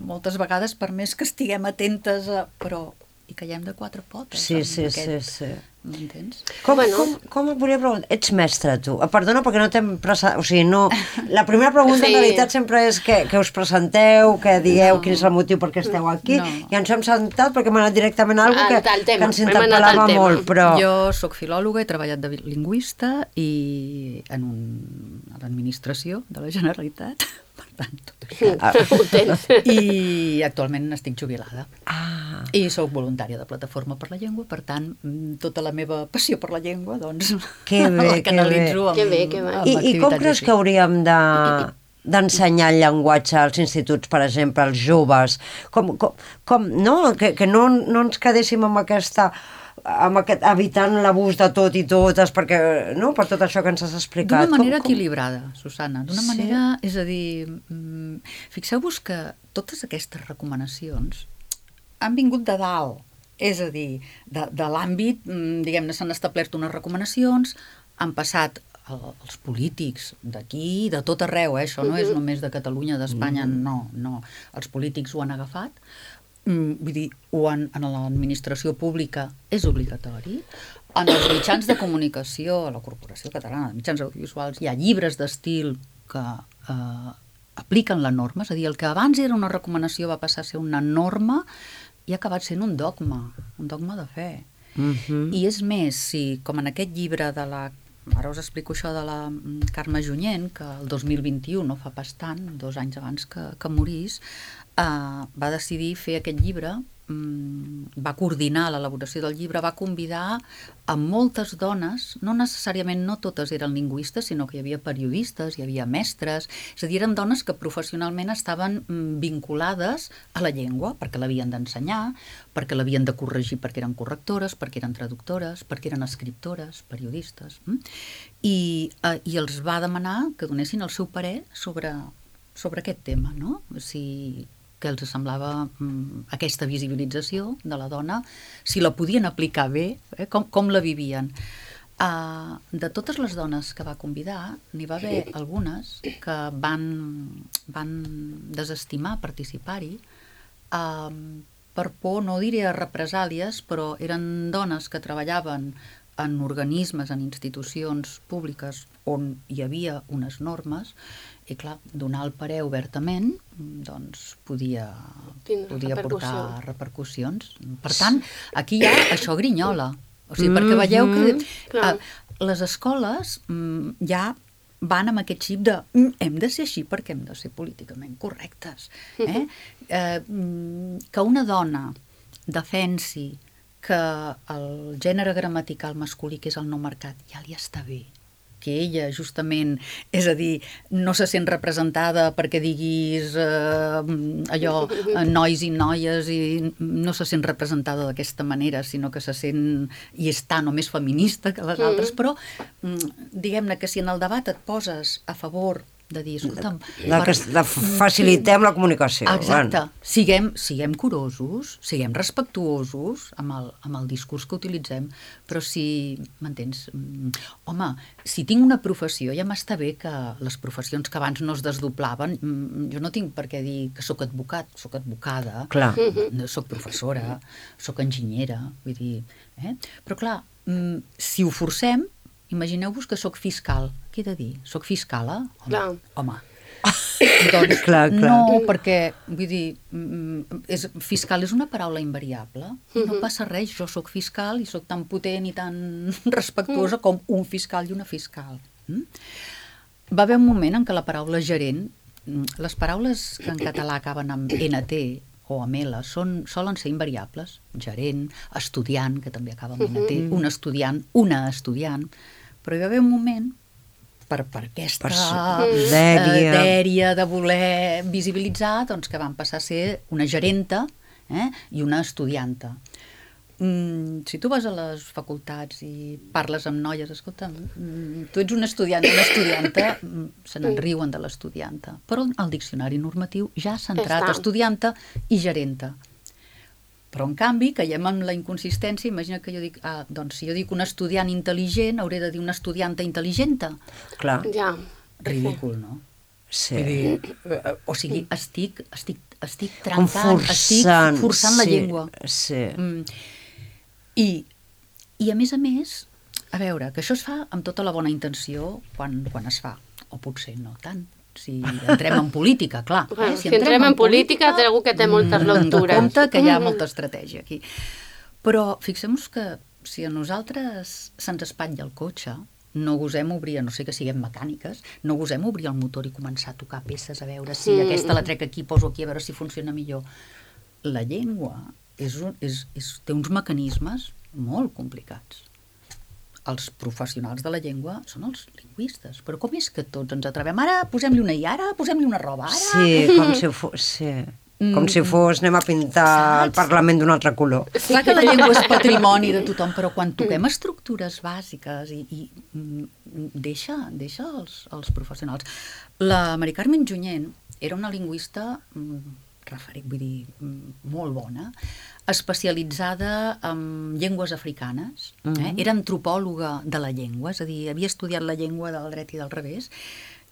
moltes vegades, per més que estiguem atentes, a, però hi caiem de quatre potes. Sí, amb sí, aquest, sí, sí. M'entens? Com, Bueno. com, com et volia preguntar? Ets mestre, tu. Ah, perdona, perquè no t'hem presentat... O sigui, no... La primera pregunta, Sí. en realitat, sempre és que, que us presenteu, que digueu No. quin és el motiu per què esteu aquí, No. i ens hem sentat perquè hem anat directament a alguna Al- que, al tema. que ens Hem anat al interpel·lava tema. molt, però... Jo sóc filòloga, he treballat de lingüista i en un, a l'administració de la Generalitat, per tant, tot això. Ah. Ho tens. I actualment estic jubilada. Ah, I sóc voluntària de Plataforma per la Llengua, per tant, mm, tota la meva passió per la llengua, doncs, Que bé, la que canalitzo bé. amb, Que bé, que bé. amb I, I com activitats creus així. que hauríem de d'ensenyar el llenguatge als instituts, per exemple, als joves? Com, com, com no? Que, que no, no ens quedéssim amb aquesta amb aquest, evitant l'abús de tot i totes, perquè, no?, per tot això que ens has explicat. D'una manera com, com... equilibrada, Susana. D'una Sí. manera, és a dir, mm, fixeu-vos que totes aquestes recomanacions han vingut de dalt. És a dir, de, de l'àmbit, mm, diguem-ne, s'han establert unes recomanacions, han passat el, els polítics d'aquí, de tot arreu, eh? Això no és només de Catalunya, d'Espanya, no, no. Els polítics ho han agafat, mm, vull dir, ho han, en l'administració pública és obligatori, En els mitjans de comunicació, a la Corporació Catalana de Mitjans Audiovisuals, hi ha llibres d'estil que eh, apliquen la norma, és a dir, el que abans era una recomanació va passar a ser una norma i ha acabat sent un dogma, un dogma de fe. Mhm. I és més, si, com en aquest llibre de la... Ara us explico això de la Carme Junyent, que el dos mil vint-i-u, no fa pas tant, dos anys abans que, que morís, eh, va decidir fer aquest llibre, mm, va coordinar l'elaboració del llibre, va convidar a moltes dones, no necessàriament no totes eren lingüistes, sinó que hi havia periodistes, hi havia mestres, és a dir, eren dones que professionalment estaven mm, vinculades a la llengua, perquè l'havien d'ensenyar, perquè l'havien de corregir perquè eren correctores, perquè eren traductores, perquè eren escriptores, periodistes, mm? I, eh, i els va demanar que donessin el seu parer sobre, sobre aquest tema, no? Si... que els semblava mm, aquesta visibilització de la dona, si la podien aplicar bé, eh, com, com la vivien. Uh, de totes les dones que va convidar, n'hi va haver algunes que van, van desestimar participar-hi uh, per por, no diré a represàlies, però eren dones que treballaven en organismes, en institucions públiques on hi havia unes normes, i clar, donar el parer obertament doncs podia, podia portar repercussions. Per tant, aquí hi ha això grinyola. O sigui, perquè veieu que eh, les escoles mm, ja van amb aquest xip de mm, hem de ser així perquè hem de ser políticament correctes. Eh? Eh, que una dona defensi que el gènere gramatical masculí, que és el no marcat, ja li està bé, que ella justament, és a dir, no se sent representada perquè diguis eh, allò, eh, nois i noies, i no se sent representada d'aquesta manera, sinó que se sent i és tan o més feminista que les altres, però diguem-ne que si en el debat et poses a favor de dir, escolta'm... De que de facilitem la comunicació. Exacte. Siguem, siguem curosos, siguem respectuosos amb el, amb el discurs que utilitzem, però si, m'entens? Home, si tinc una professió, ja m'està bé que les professions que abans no es desdoblaven, jo no tinc per què dir que sóc advocat, sóc advocada, clar. Sóc professora, sóc enginyera, vull dir... Eh? Però clar, si ho forcem, imagineu-vos que sóc fiscal. Què he de dir? Soc fiscala? Home. Clar. Home. Doncs clar, clar. no, perquè, vull dir, és, fiscal és una paraula invariable. Uh-huh. No passa res, jo sóc fiscal i sóc tan potent i tan respectuosa uh-huh. com un fiscal i una fiscal. Mm? Va haver un moment en què la paraula gerent, les paraules que en català acaben amb ena te o amb ela són, solen ser invariables. Gerent, estudiant, que també acaba amb ena te, uh-huh. un estudiant, una estudiant, però hi va haver un moment per, per aquesta per dèria. Uh, dèria de voler visibilitzar, doncs que van passar a ser una gerenta eh, i una estudianta. Mm, si tu vas a les facultats i parles amb noies, escolta, mm, tu ets un estudiant, una estudianta, mm, se n'en riuen de l'estudianta, però el diccionari normatiu ja s'ha entrat estudianta i gerenta. Però, en canvi, caiem en la inconsistència. Imagina que jo dic, ah, doncs, si jo dic un estudiant intel·ligent, hauré de dir una estudianta intel·ligenta. Clar. Ja. Ridícul, no? Sí. Dir, o sigui, estic, estic, estic trencant, forçant, estic forçant sí, la llengua. Sí. Mm. I, I, a més a més, a veure, que això es fa amb tota la bona intenció quan, quan es fa, o potser no tant. Si entrem en política, clar. Bueno, eh? si, si entrem, entrem en, en política, té algú que té moltes lectures. En compte que hi ha molta estratègia aquí. Però fixem-nos que si a nosaltres se'ns espatlla el cotxe, no gosem obrir, a no sé que siguem mecàniques, no gosem obrir el motor i començar a tocar peces, a veure si mm. aquesta la trec aquí, poso aquí, a veure si funciona millor. La llengua és, és, és, té uns mecanismes molt complicats. Els professionals de la llengua són els lingüistes. Però com és que tots ens atrevem? Ara posem-li una i ara, posem-li una roba, ara... Sí, com si fos... Sí. Com si fos, anem a pintar Saps? El Parlament d'un altre color. Clar que la llengua és patrimoni de tothom, però quan toquem estructures bàsiques i, i deixa, deixa els, els professionals. La Mari Carmen Junyent era una lingüista referent, vull dir, molt bona, especialitzada en llengües africanes, eh? Uh-huh. Era antropòloga de la llengua, és a dir, havia estudiat la llengua del dret i del revés,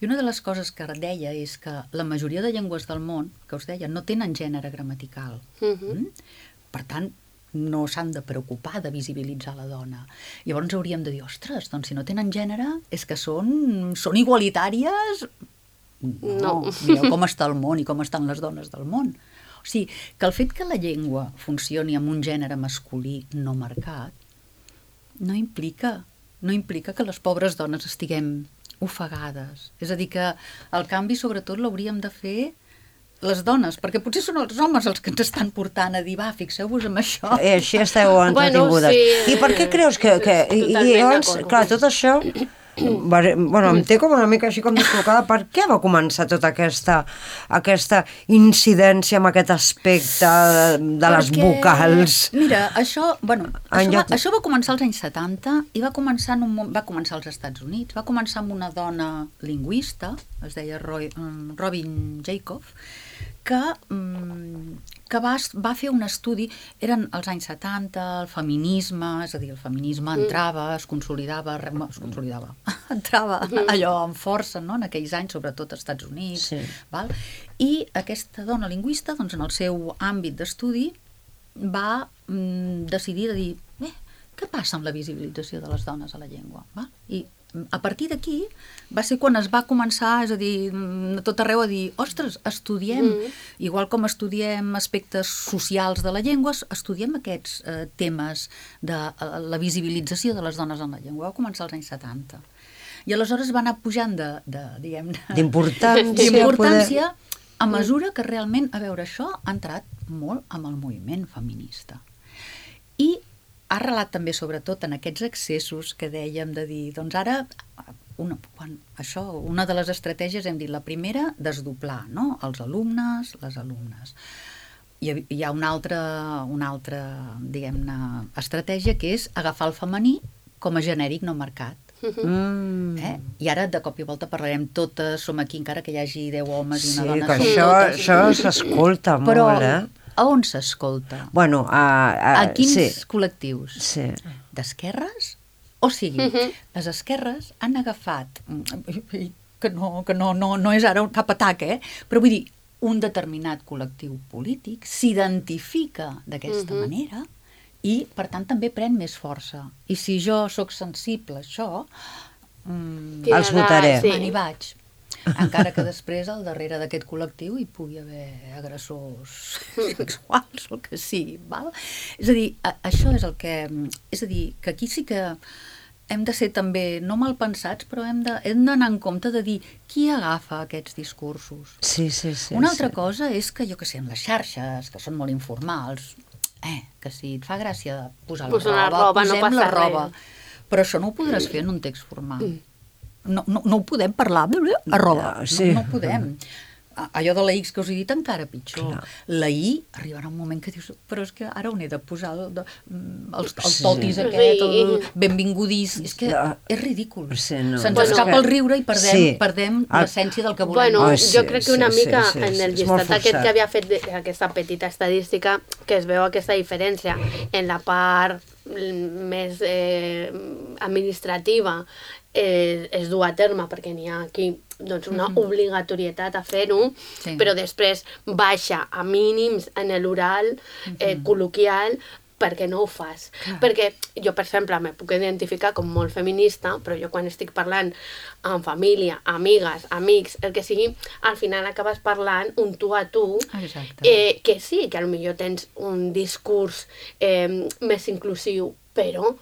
i una de les coses que deia és que la majoria de llengües del món, que us deia, no tenen gènere gramatical. Uh-huh. Mm? Per tant, no s'han de preocupar de visibilitzar la dona. Llavors hauríem de dir, ostres, doncs si no tenen gènere és que són, són igualitàries. No, No. mireu com està el món i com estan les dones del món. O sigui, que el fet que la llengua funcioni amb un gènere masculí no marcat no implica, no implica que les pobres dones estiguem ofegades. És a dir, que el canvi sobretot l'hauríem de fer les dones, perquè potser són els homes els que ens estan portant a dir, va, fixeu-vos en això. I així esteu entretingudes. Bueno, sí, I per què creus que... que i, i totalment llavors, d'acord. clar, tot això... Bueno, em té com una mica així com descol·locada. Per què va començar tota aquesta, aquesta incidència amb aquest aspecte de, de les Perquè, vocals? Mira, això, bueno, En això, lloc- va, això va començar als anys setanta i va començar, en un, mo- va començar als Estats Units. Va començar amb una dona lingüista, es deia Roy, um, Robin Jacob, que, um, que va, va fer un estudi, eren els anys setanta, el feminisme, és a dir, el feminisme entrava, es consolidava, re- es consolidava, entrava allò amb força, no?, en aquells anys, sobretot als Estats Units, Sí. val? I aquesta dona lingüista, doncs, en el seu àmbit d'estudi, va mm, decidir de dir, eh, què passa amb la visibilització de les dones a la llengua? Va? I a partir d'aquí va ser quan es va començar, és a dir, a tot arreu a dir, ostres, estudiem, mm. igual com estudiem aspectes socials de la llengua, estudiem aquests eh, temes de eh, la visibilització de les dones en la llengua. Va començar als anys setanta. I aleshores va anar pujant de, de diguem... D'importància. d'importància a mesura que realment, a veure, això ha entrat molt amb el moviment feminista. I ha arrelat també, sobretot, en aquests excessos que dèiem de dir, doncs ara, una, quan, això, una de les estratègies hem dit, la primera, desdoblar, no?, els alumnes, les alumnes. Hi ha, hi ha una altra, una altra, diguem-ne, estratègia, que és agafar el femení com a genèric no marcat. Mm. Eh? I ara de cop i volta parlarem totes, som aquí encara que hi hagi deu homes i Sí, una dona, que som això, totes. això s'escolta Però molt, eh? a on s'escolta? Bueno, a, a, A quins sí, col·lectius? sí. D'esquerres? O sigui, les esquerres han agafat, que no, que no, no, no és ara cap atac, eh? Però vull dir, un determinat col·lectiu polític s'identifica d'aquesta Mhm. manera i, per tant, també pren més força. I si jo sóc sensible a això, mm, Els votaré. Sí. me n'hi vaig. Encara que després al darrere d'aquest col·lectiu hi pugui haver agressors sexuals o el que sigui, val? És a dir, a, això és el que... És a dir, que aquí sí que hem de ser també, no mal pensats, però hem de- hem d'anar en compte de dir qui agafa aquests discursos. Sí, sí, sí. Una altra sí. cosa és que, jo que sé, en les xarxes, que són molt informals, eh, que si et fa gràcia posar la Posar la roba, roba, no posem passa la roba. res. Però això no ho podràs fer en un text formal. No, no, no ho podem parlar, a roba. Ah, sí. No, no podem. A- Allò de la X que us he dit encara pitjor. Clar. La I arribarà un moment que dius, però és que ara on he de posar el, de, mm, els, els Sí. totis aquest, el Sí. benvingudís, és que Ja. és ridícul. Sí, no. Se'ns Bueno, escapa és que- el riure i perdem, Sí. perdem El- l'essència del que volem. Bueno, Ai, sí, jo crec que una sí, mica sí, sí, en sí, el és molt llistat aquest forçat. que havia fet de- aquesta petita estadística, que es veu aquesta diferència en la part mm, més eh, administrativa eh, es du a terme perquè n'hi ha aquí doncs, una obligatorietat a fer-ho, Sí. però després baixa a mínims en l'oral eh, col·loquial perquè no ho fas. Perquè jo, per exemple, me puc identificar com molt feminista, però jo quan estic parlant amb família, amigues, amics, el que sigui, al final acabes parlant un tu a tu, Exacte. eh, que sí, que potser tens un discurs eh, més inclusiu, però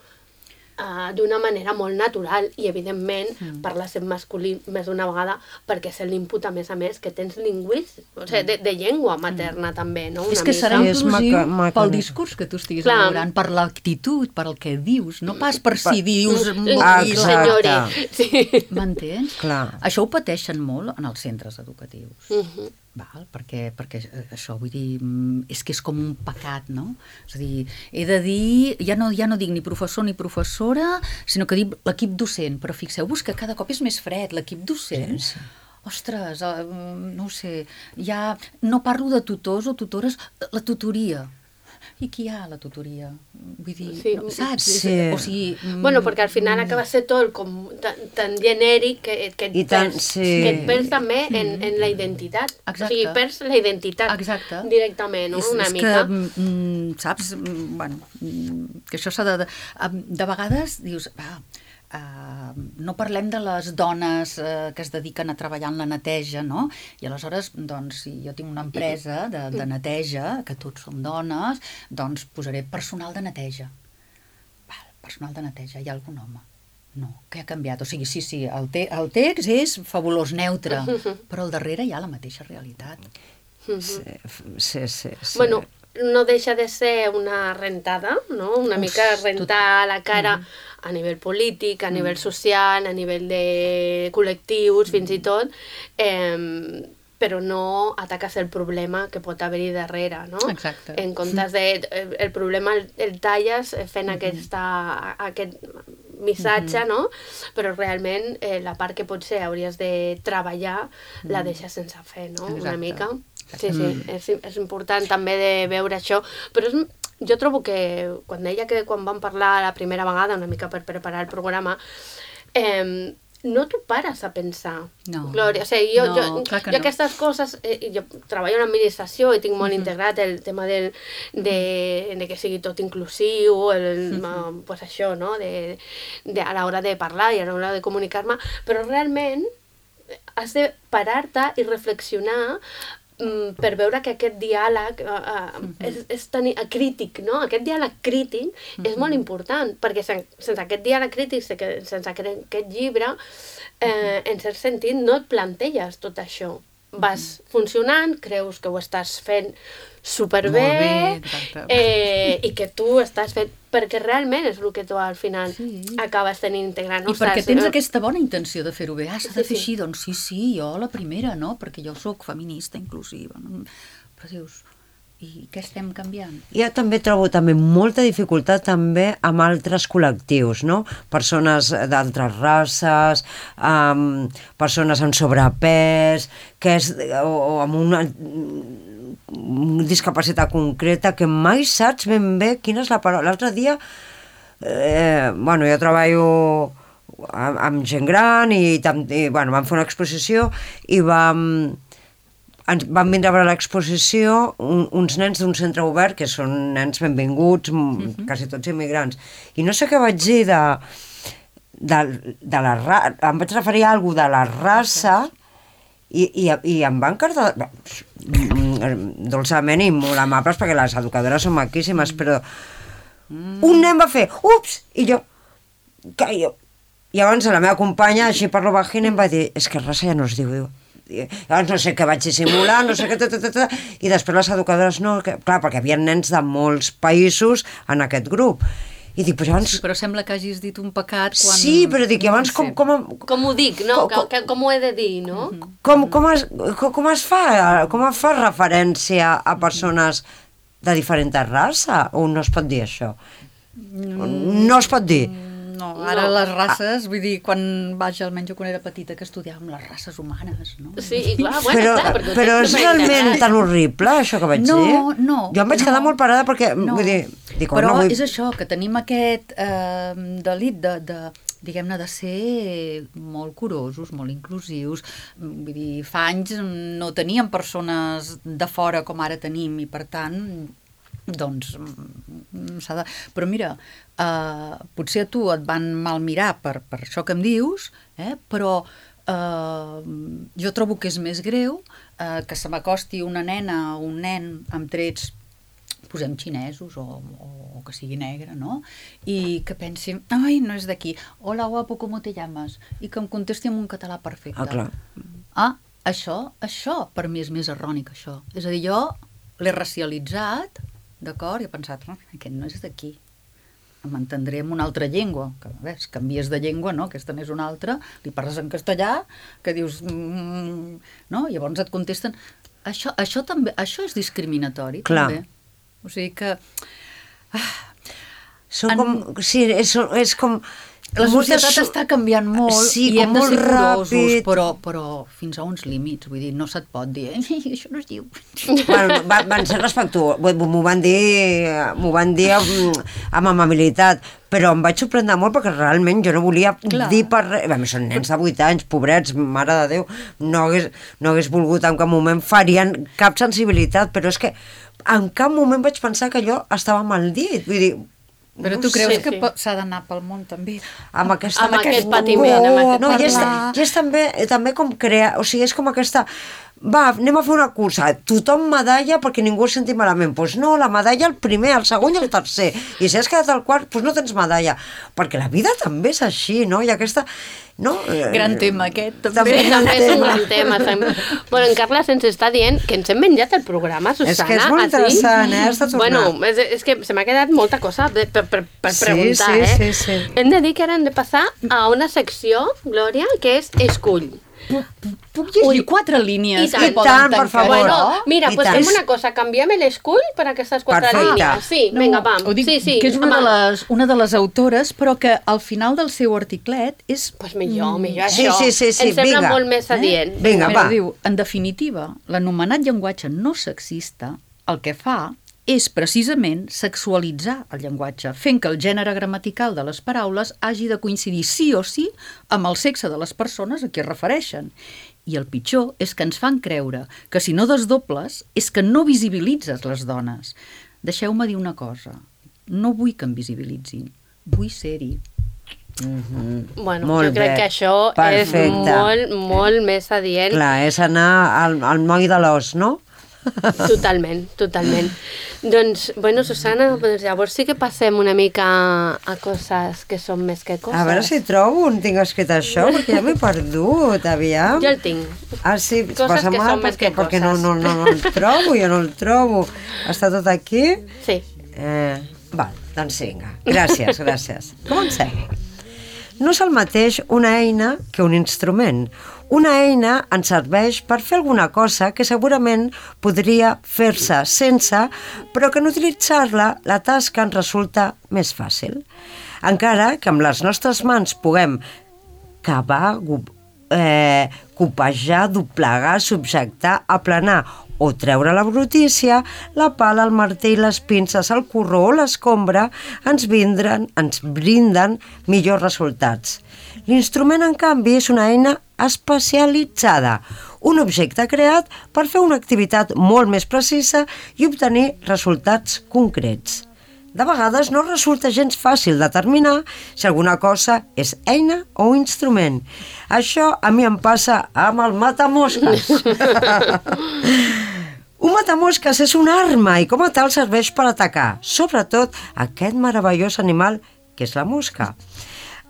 Uh, d'una manera molt natural i evidentment mm. parles en masculí més d'una vegada perquè és l'input a més a més que tens lingüístic, o sigui, de, de llengua materna mm. també, no? Una És que serà Sí, és inclusiu maca- maca- pel discurs que tu estiguis Clar. elaborant, per l'actitud, per el que dius, no pas per si dius... Ah, i- exacte. Senyori, sí. M'entens? Clar. Això ho pateixen molt en els centres educatius. Mhm. Val? Perquè, perquè això, vull dir, mm, és que és com un pecat, no? És a dir, he de dir, ja no, ja no dic ni professor ni professora, sinó que dic l'equip docent, però fixeu-vos que cada cop és més fred, l'equip docent. Sí, sí. Ostres, eh, no ho sé, ja no parlo de tutors o tutores, la tutoria. I qui hi ha a la tutoria? Vull dir, Sí. no, saps? Sí. És, o sigui, mm, Bueno, perquè al final acaba sent tot com tan, tan genèric que, que, et I tant, perds, sí. que et perds també en, en la identitat. Exacte. O sigui, perds la identitat Exacte. directament, no? És, Una és mica. que, mm, saps, mm, bueno, mm, que això s'ha de, de... De vegades dius, va, uh, no parlem de les dones uh, que es dediquen a treballar en la neteja, no? I aleshores, doncs, si jo tinc una empresa de, de neteja, que tots som dones, doncs posaré personal de neteja. Val, personal de neteja, hi ha algun home? No, que ha canviat. O sigui, sí, sí, el, te el text és fabulós, neutre, però al darrere hi ha la mateixa realitat. Sí, sí, sí, sí. Bueno, no deixa de ser una rentada, no? Una Uf, mica rentar la cara a nivell polític, a nivell social, a nivell de col·lectius, fins i tot, eh, però no ataques el problema que pot haver-hi darrere, no? Exacte. En comptes de... El, el problema el, el talles fent aquesta, aquest missatge, no? Però realment eh, la part que potser hauries de treballar la deixes sense fer, no? Una Exacte. mica. Sí, sí, és, és important també de veure això, però és, jo trobo que quan deia que quan vam parlar la primera vegada, una mica per preparar el programa, eh, no t'ho pares a pensar, No. Glòria. O sigui, jo, No, jo, clar que jo no. aquestes coses, eh, jo treballo en l'administració i tinc molt integrat el tema del, de, de que sigui tot inclusiu, el, uh, pues això, no? De, de, a l'hora de parlar i a l'hora de comunicar-me, però realment has de parar-te i reflexionar mm, per veure que aquest diàleg uh, uh, és, és tan uh, crític, no? Aquest diàleg crític és molt important, perquè sen, sense aquest diàleg crític, sense, sense aquest, aquest llibre, eh, en cert sentit, no et planteges tot això. Vas funcionant, creus que ho estàs fent superbé, Molt bé, exacte. eh, i que tu estàs fent... Perquè realment és el que tu al final Sí. acabes tenint integrant. I perquè Ostres, tens eh, aquesta bona intenció de fer-ho bé. Ah, s'ha de Sí, fer sí. així, doncs sí, sí, jo la primera, no? Perquè jo sóc feminista inclusiva. No? Però dius, i què estem canviant? Jo també trobo també molta dificultat també amb altres col·lectius, no? Persones d'altres races, um, persones amb sobrepès, que és, o, o amb una discapacitat concreta que mai saps ben bé quina és la paraula. L'altre dia, eh, bueno, jo treballo amb, amb gent gran i, tam- i bueno, vam fer una exposició i vam... ens van vindre a veure l'exposició un, uns nens d'un centre obert que són nens benvinguts, mm-hmm. quasi tots immigrants, i no sé què vaig dir de, de, de la raça, em vaig referir a alguna de la raça i, i, i em van cardar dolçament i molt amables perquè les educadores són maquíssimes, però un nen va fer ups, i jo, que jo i abans la meva companya, així per lo bajín, em va dir, és que raça ja no es diu, diu. I llavors no sé què vaig dissimular, no sé què, ta, ta, ta, ta, i després les educadores no, que, clar, perquè hi havia nens de molts països en aquest grup. I dic, però abans... Sí, però sembla que hagis dit un pecat quan... Sí, però dic, i abans No com, sé. com, Com ho dic, no? Com- Com, com ho he de dir, no? com, com, es, com, com es fa, com es fa referència a persones de diferent raça? O no es pot dir això? No es pot dir. No, ara No. les races, vull dir, quan vaig, almenys jo quan era petita, que estudiàvem les races humanes, no? Sí, i clar, bueno, Però, clar, perquè ho però tens és superintegrat. realment tan horrible, això que vaig No, dir? no, Jo em vaig no. quedar molt parada perquè, No. vull dir... Dic, Però no vull... és això, que tenim aquest eh, delit de, de diguem-ne, de ser molt curosos, molt inclusius. Vull dir, fa anys no teníem persones de fora com ara tenim i, per tant, doncs s'ha de... Però mira, eh, potser a tu et van mal mirar per, per això que em dius, eh, però eh, jo trobo que és més greu eh, que se m'acosti una nena o un nen amb trets, posem xinesos o, o, o que sigui negre, no? I que pensi, ai, no és d'aquí, hola guapo, ¿cómo te llamas? I que em contesti en un català perfecte. Ah, clar. Ah, això, això per mi és més errònic, això. És a dir, jo l'he racialitzat, d'acord, i he pensat, no, aquest no és d'aquí. M'entendré en una altra llengua, que ves, canvies de llengua, no? Aquesta n'és una altra, li parles en castellà, que dius, mm, no? Llavors et contesten. Això, això també, això és discriminatori, Clar. també. O sigui que... Són En- com... Sí, és, és com... La societat so... està canviant molt sí, i hem de ser curosos, ràpid. però, però fins a uns límits. Vull dir, no se't pot dir, eh, això no es diu. Bueno, va, van ser respectuosos, m'ho van dir, m'ho van dir amb, amb amabilitat, però em vaig sorprendre molt perquè realment jo no volia Clar. dir per res. A més, són nens de vuit anys, pobrets, mare de Déu, no hagués, no hagués volgut en cap moment, farien cap sensibilitat, però és que en cap moment vaig pensar que allò estava mal dit, vull dir, Però tu creus sí, que sí. s'ha d'anar pel món també? Amb, aquesta, amb aquest patiment, amb aquest no, i és, i és també, també com crear, o sigui, és com aquesta, va, anem a fer una cursa, tothom medalla perquè ningú es senti malament, doncs no, la medalla el primer, el segon i el tercer, i si has quedat al quart, doncs no tens medalla, perquè la vida també és així, no? I aquesta... No? Gran tema aquest, també. També, també és un gran tema. També. Bueno, en Carles ens està dient que ens hem menjat el programa, Susana. És que és molt interessant, eh? Has de tornar. Bueno, és, és que se m'ha quedat molta cosa per, per, per sí, preguntar, sí, eh? Sí, sí. Hem de dir que ara hem de passar a una secció, Glòria, que és Escull. Puc llegir Ui, quatre línies? I tant, I tant per favor. Bueno, mira, I pues tant. fem una cosa, canviem l'escull per aquestes quatre Perfecte. línies. Sí, No, vinga, vam. ho dic sí, sí, que és una de, les, una de les autores, però que al final del seu articlet és... Pues millor, millor Sí, això. sí, sí, sí, Em sembla vinga. molt més adient. Eh? Vinga, Mira, va. diu, en definitiva, l'anomenat llenguatge no sexista el que fa és precisament sexualitzar el llenguatge, fent que el gènere gramatical de les paraules hagi de coincidir sí o sí amb el sexe de les persones a qui es refereixen. I el pitjor és que ens fan creure que si no desdobles és que no visibilitzes les dones. Deixeu-me dir una cosa, no vull que em visibilitzin, vull ser-hi. Mm-hmm. Bueno, molt jo crec bé. que això Perfecte. és molt, molt més adient. Clar, és anar al, al moll de l'os, no? Totalment, totalment. Doncs, bueno, Susana, doncs llavors sí que passem una mica a coses que són més que coses. A veure si trobo on tinc escrit això, perquè ja m'he perdut, aviam. Jo el tinc. Ah, sí, Coses passa que mal són més perquè, que perquè no, coses. no, no, no el trobo, jo no el trobo. Està tot aquí? Sí. Eh, val, doncs vinga. Gràcies, gràcies. Comencem. No és el mateix una eina que un instrument. Una eina ens serveix per fer alguna cosa que segurament podria fer-se sense, però que en utilitzar-la la tasca ens resulta més fàcil. Encara que amb les nostres mans puguem cavar, eh, copejar, doblegar, subjectar, aplanar o treure la brutícia, la pala, el martell, les pinces, el corró o l'escombra ens vindren, ens brinden millors resultats. L'instrument, en canvi, és una eina especialitzada, un objecte creat per fer una activitat molt més precisa i obtenir resultats concrets. De vegades no resulta gens fàcil determinar si alguna cosa és eina o instrument. Això a mi em passa amb el matamosques. Un matamosques és una arma i com a tal serveix per atacar, sobretot aquest meravellós animal que és la mosca.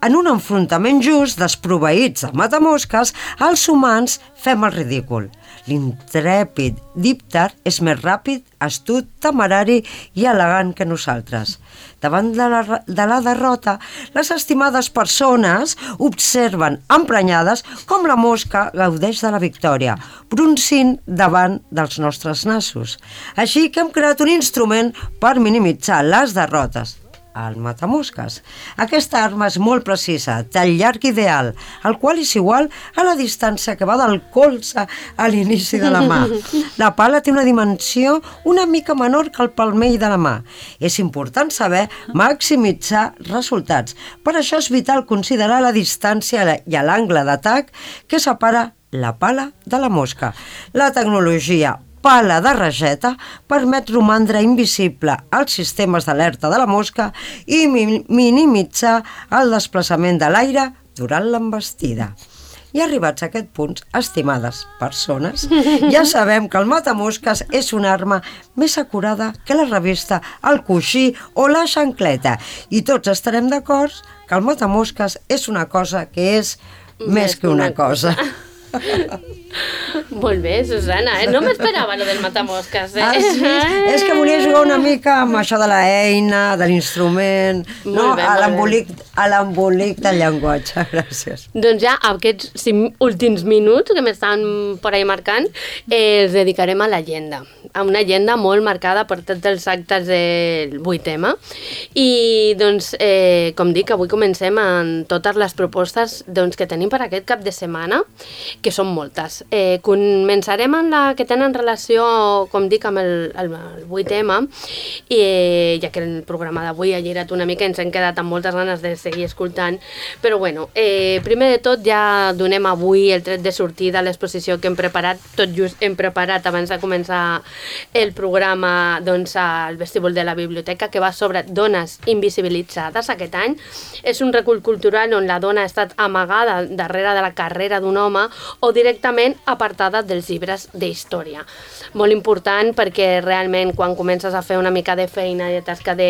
En un enfrontament just, desproveïts de matamosques, els humans fem el ridícul. L'intrèpid dípter és més ràpid, astut, temerari i elegant que nosaltres. Davant de la, de la derrota, les estimades persones observen emprenyades com la mosca gaudeix de la victòria, bruncint davant dels nostres nassos. Així que hem creat un instrument per minimitzar les derrotes, el matamosques. Aquesta arma és molt precisa, del llarg ideal, el qual és igual a la distància que va del colze a l'inici de la mà. La pala té una dimensió una mica menor que el palmell de la mà. És important saber maximitzar resultats. Per això és vital considerar la distància i l'angle d'atac que separa la pala de la mosca. La tecnologia pala de rageta permet romandre invisible als sistemes d'alerta de la mosca i mi- minimitzar el desplaçament de l'aire durant l'envestida. I arribats a aquest punt, estimades persones, ja sabem que el matamosques és una arma més acurada que la revista, el coixí o la xancleta. I tots estarem d'acord que el matamosques és una cosa que és més, més que una cosa. Molt bé, Susana, eh? No m'esperava lo del matamosques, eh? Ah, sí? És que volia jugar una mica amb això de l'eina, de l'instrument, no? Molt bé, A molt l'embolic a l'embolic del llenguatge, gràcies. Doncs ja aquests cinc últims minuts que m'estan per ahí marcant eh, els dedicarem a l'agenda, a una agenda molt marcada per tots els actes del vuit ema i doncs, eh, com dic, avui comencem amb totes les propostes doncs, que tenim per aquest cap de setmana, que són moltes. Eh, començarem amb la que tenen relació, com dic, amb el, el, el vuit ema, i, eh, ja que el programa d'avui ha girat una mica, ens hem quedat amb moltes ganes de seguir escoltant, però bueno, eh, primer de tot ja donem avui el tret de sortida a l'exposició que hem preparat, tot just hem preparat abans de començar el programa doncs, al vestíbul de la biblioteca, que va sobre dones invisibilitzades aquest any. És un recull cultural on la dona ha estat amagada darrere de la carrera d'un home o directament apartada dels llibres d'història. Molt important perquè realment quan comences a fer una mica de feina i de tasca de,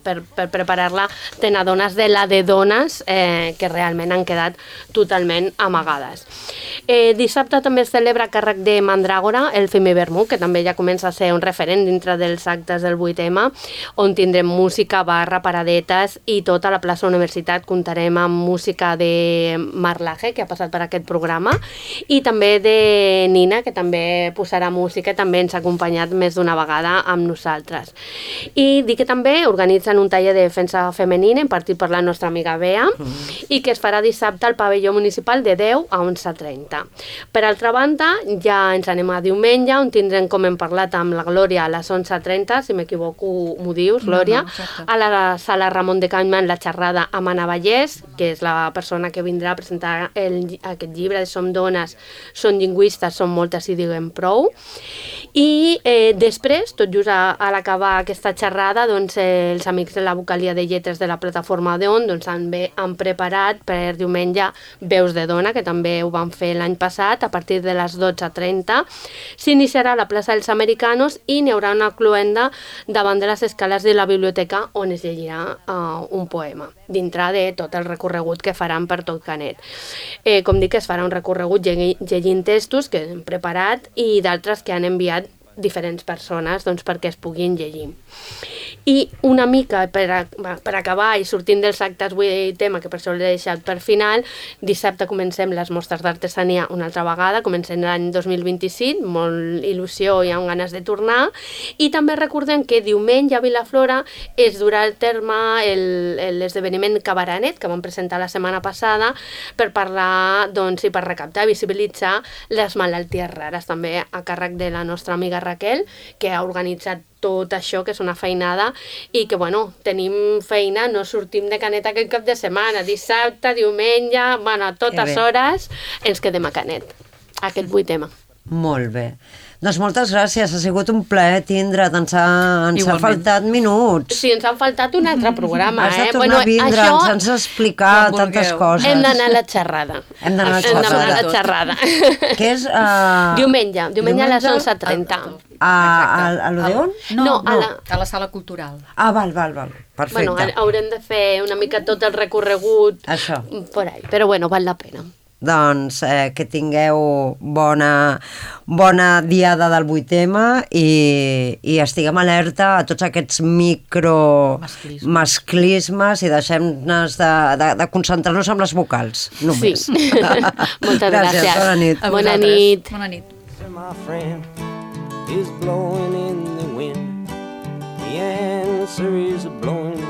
per, per preparar-la, te n'adones de la de dones eh, que realment han quedat totalment amagades. Eh, dissabte també es celebra a càrrec de Mandràgora el Femivermú, que també ja comença a ser un referent dintre dels actes del vuit ema, on tindrem música, barra, paradetes i tota la plaça Universitat comptarem amb música de Marlaje, que ha passat per aquest programa, i també de Nina, que també posarà música i també ens ha acompanyat més d'una vegada amb nosaltres. I dic que també organitzen un taller de defensa femenina impartit per la nostra amiga Bea mm. i que es farà dissabte al pavelló municipal de deu a onze trenta. Per altra banda, ja ens anem a diumenge, on tindrem, com hem parlat amb la Glòria, a les onze trenta, si m'equivoco m'ho dius, Glòria, no, no, a la sala Ramon de Cañman, la xerrada amb Anna Vallès, que és la persona que vindrà a presentar el, aquest llibre de Som dones, són lingüistes, són moltes i diguem prou. I eh, després, tot just a, a l'acabar aquesta xerrada, doncs, eh, els amics de la vocalia de lletres de la plataforma d'On doncs, han, bé, han preparat per diumenge Veus de Dona, que també ho van fer l'any passat, a partir de les dotze trenta. S'iniciarà a la plaça dels Americanos i n'hi haurà una cluenda davant de les escales de la biblioteca on es llegirà uh, un poema, dintre de tot el recorregut que faran per tot Canet. Eh, com dic, es farà un recorregut llegint textos que hem preparat i d'altres que han enviat diferents persones doncs, perquè es puguin llegir. I una mica per, a, per acabar i sortint dels actes vuit ema, que per això l'he deixat per final, dissabte comencem les mostres d'artesania una altra vegada, comencem l'any dos mil vint-i-cinc, molt il·lusió i amb ganes de tornar, i també recordem que diumenge a Vilaflora es durà al terme l'esdeveniment Cabaranet, que vam presentar la setmana passada, per parlar doncs, i per recaptar i visibilitzar les malalties rares, també a càrrec de la nostra amiga Raquel, que ha organitzat tot això, que és una feinada, i que, bueno, tenim feina, no sortim de Canet aquest cap de setmana, dissabte, diumenge, bueno, a totes hores ens quedem a Canet, aquest vuit ema. Molt bé. Doncs moltes gràcies, ha sigut un plaer tindre't, ens, ha, ens ha faltat minuts. Sí, ens han faltat un altre programa. Has de eh? tornar bueno, a vindre, això... ens has d'explicar tantes coses. Hem d'anar a la xerrada. Hem d'anar a la xerrada. Hem d'anar a la xerrada. Que és... Uh... Diumenge, diumenge a les onze trenta. A, a, a l'Odeon? No, no, no, a la... a la sala cultural. Ah, val, val, val. Perfecte. Bueno, haurem de fer una mica tot el recorregut Això. por ahí, però bueno, val la pena. Doncs eh, que tingueu bona, bona diada del vuit ema i, i estiguem alerta a tots aquests micro Masclismes. masclismes i deixem-nos de, de, de concentrar-nos en les vocals, només. Sí. Moltes gràcies. Gràcies, bona nit. A Bona vosaltres. nit. Bona nit. My friend is blowing in the wind. The answer is blowing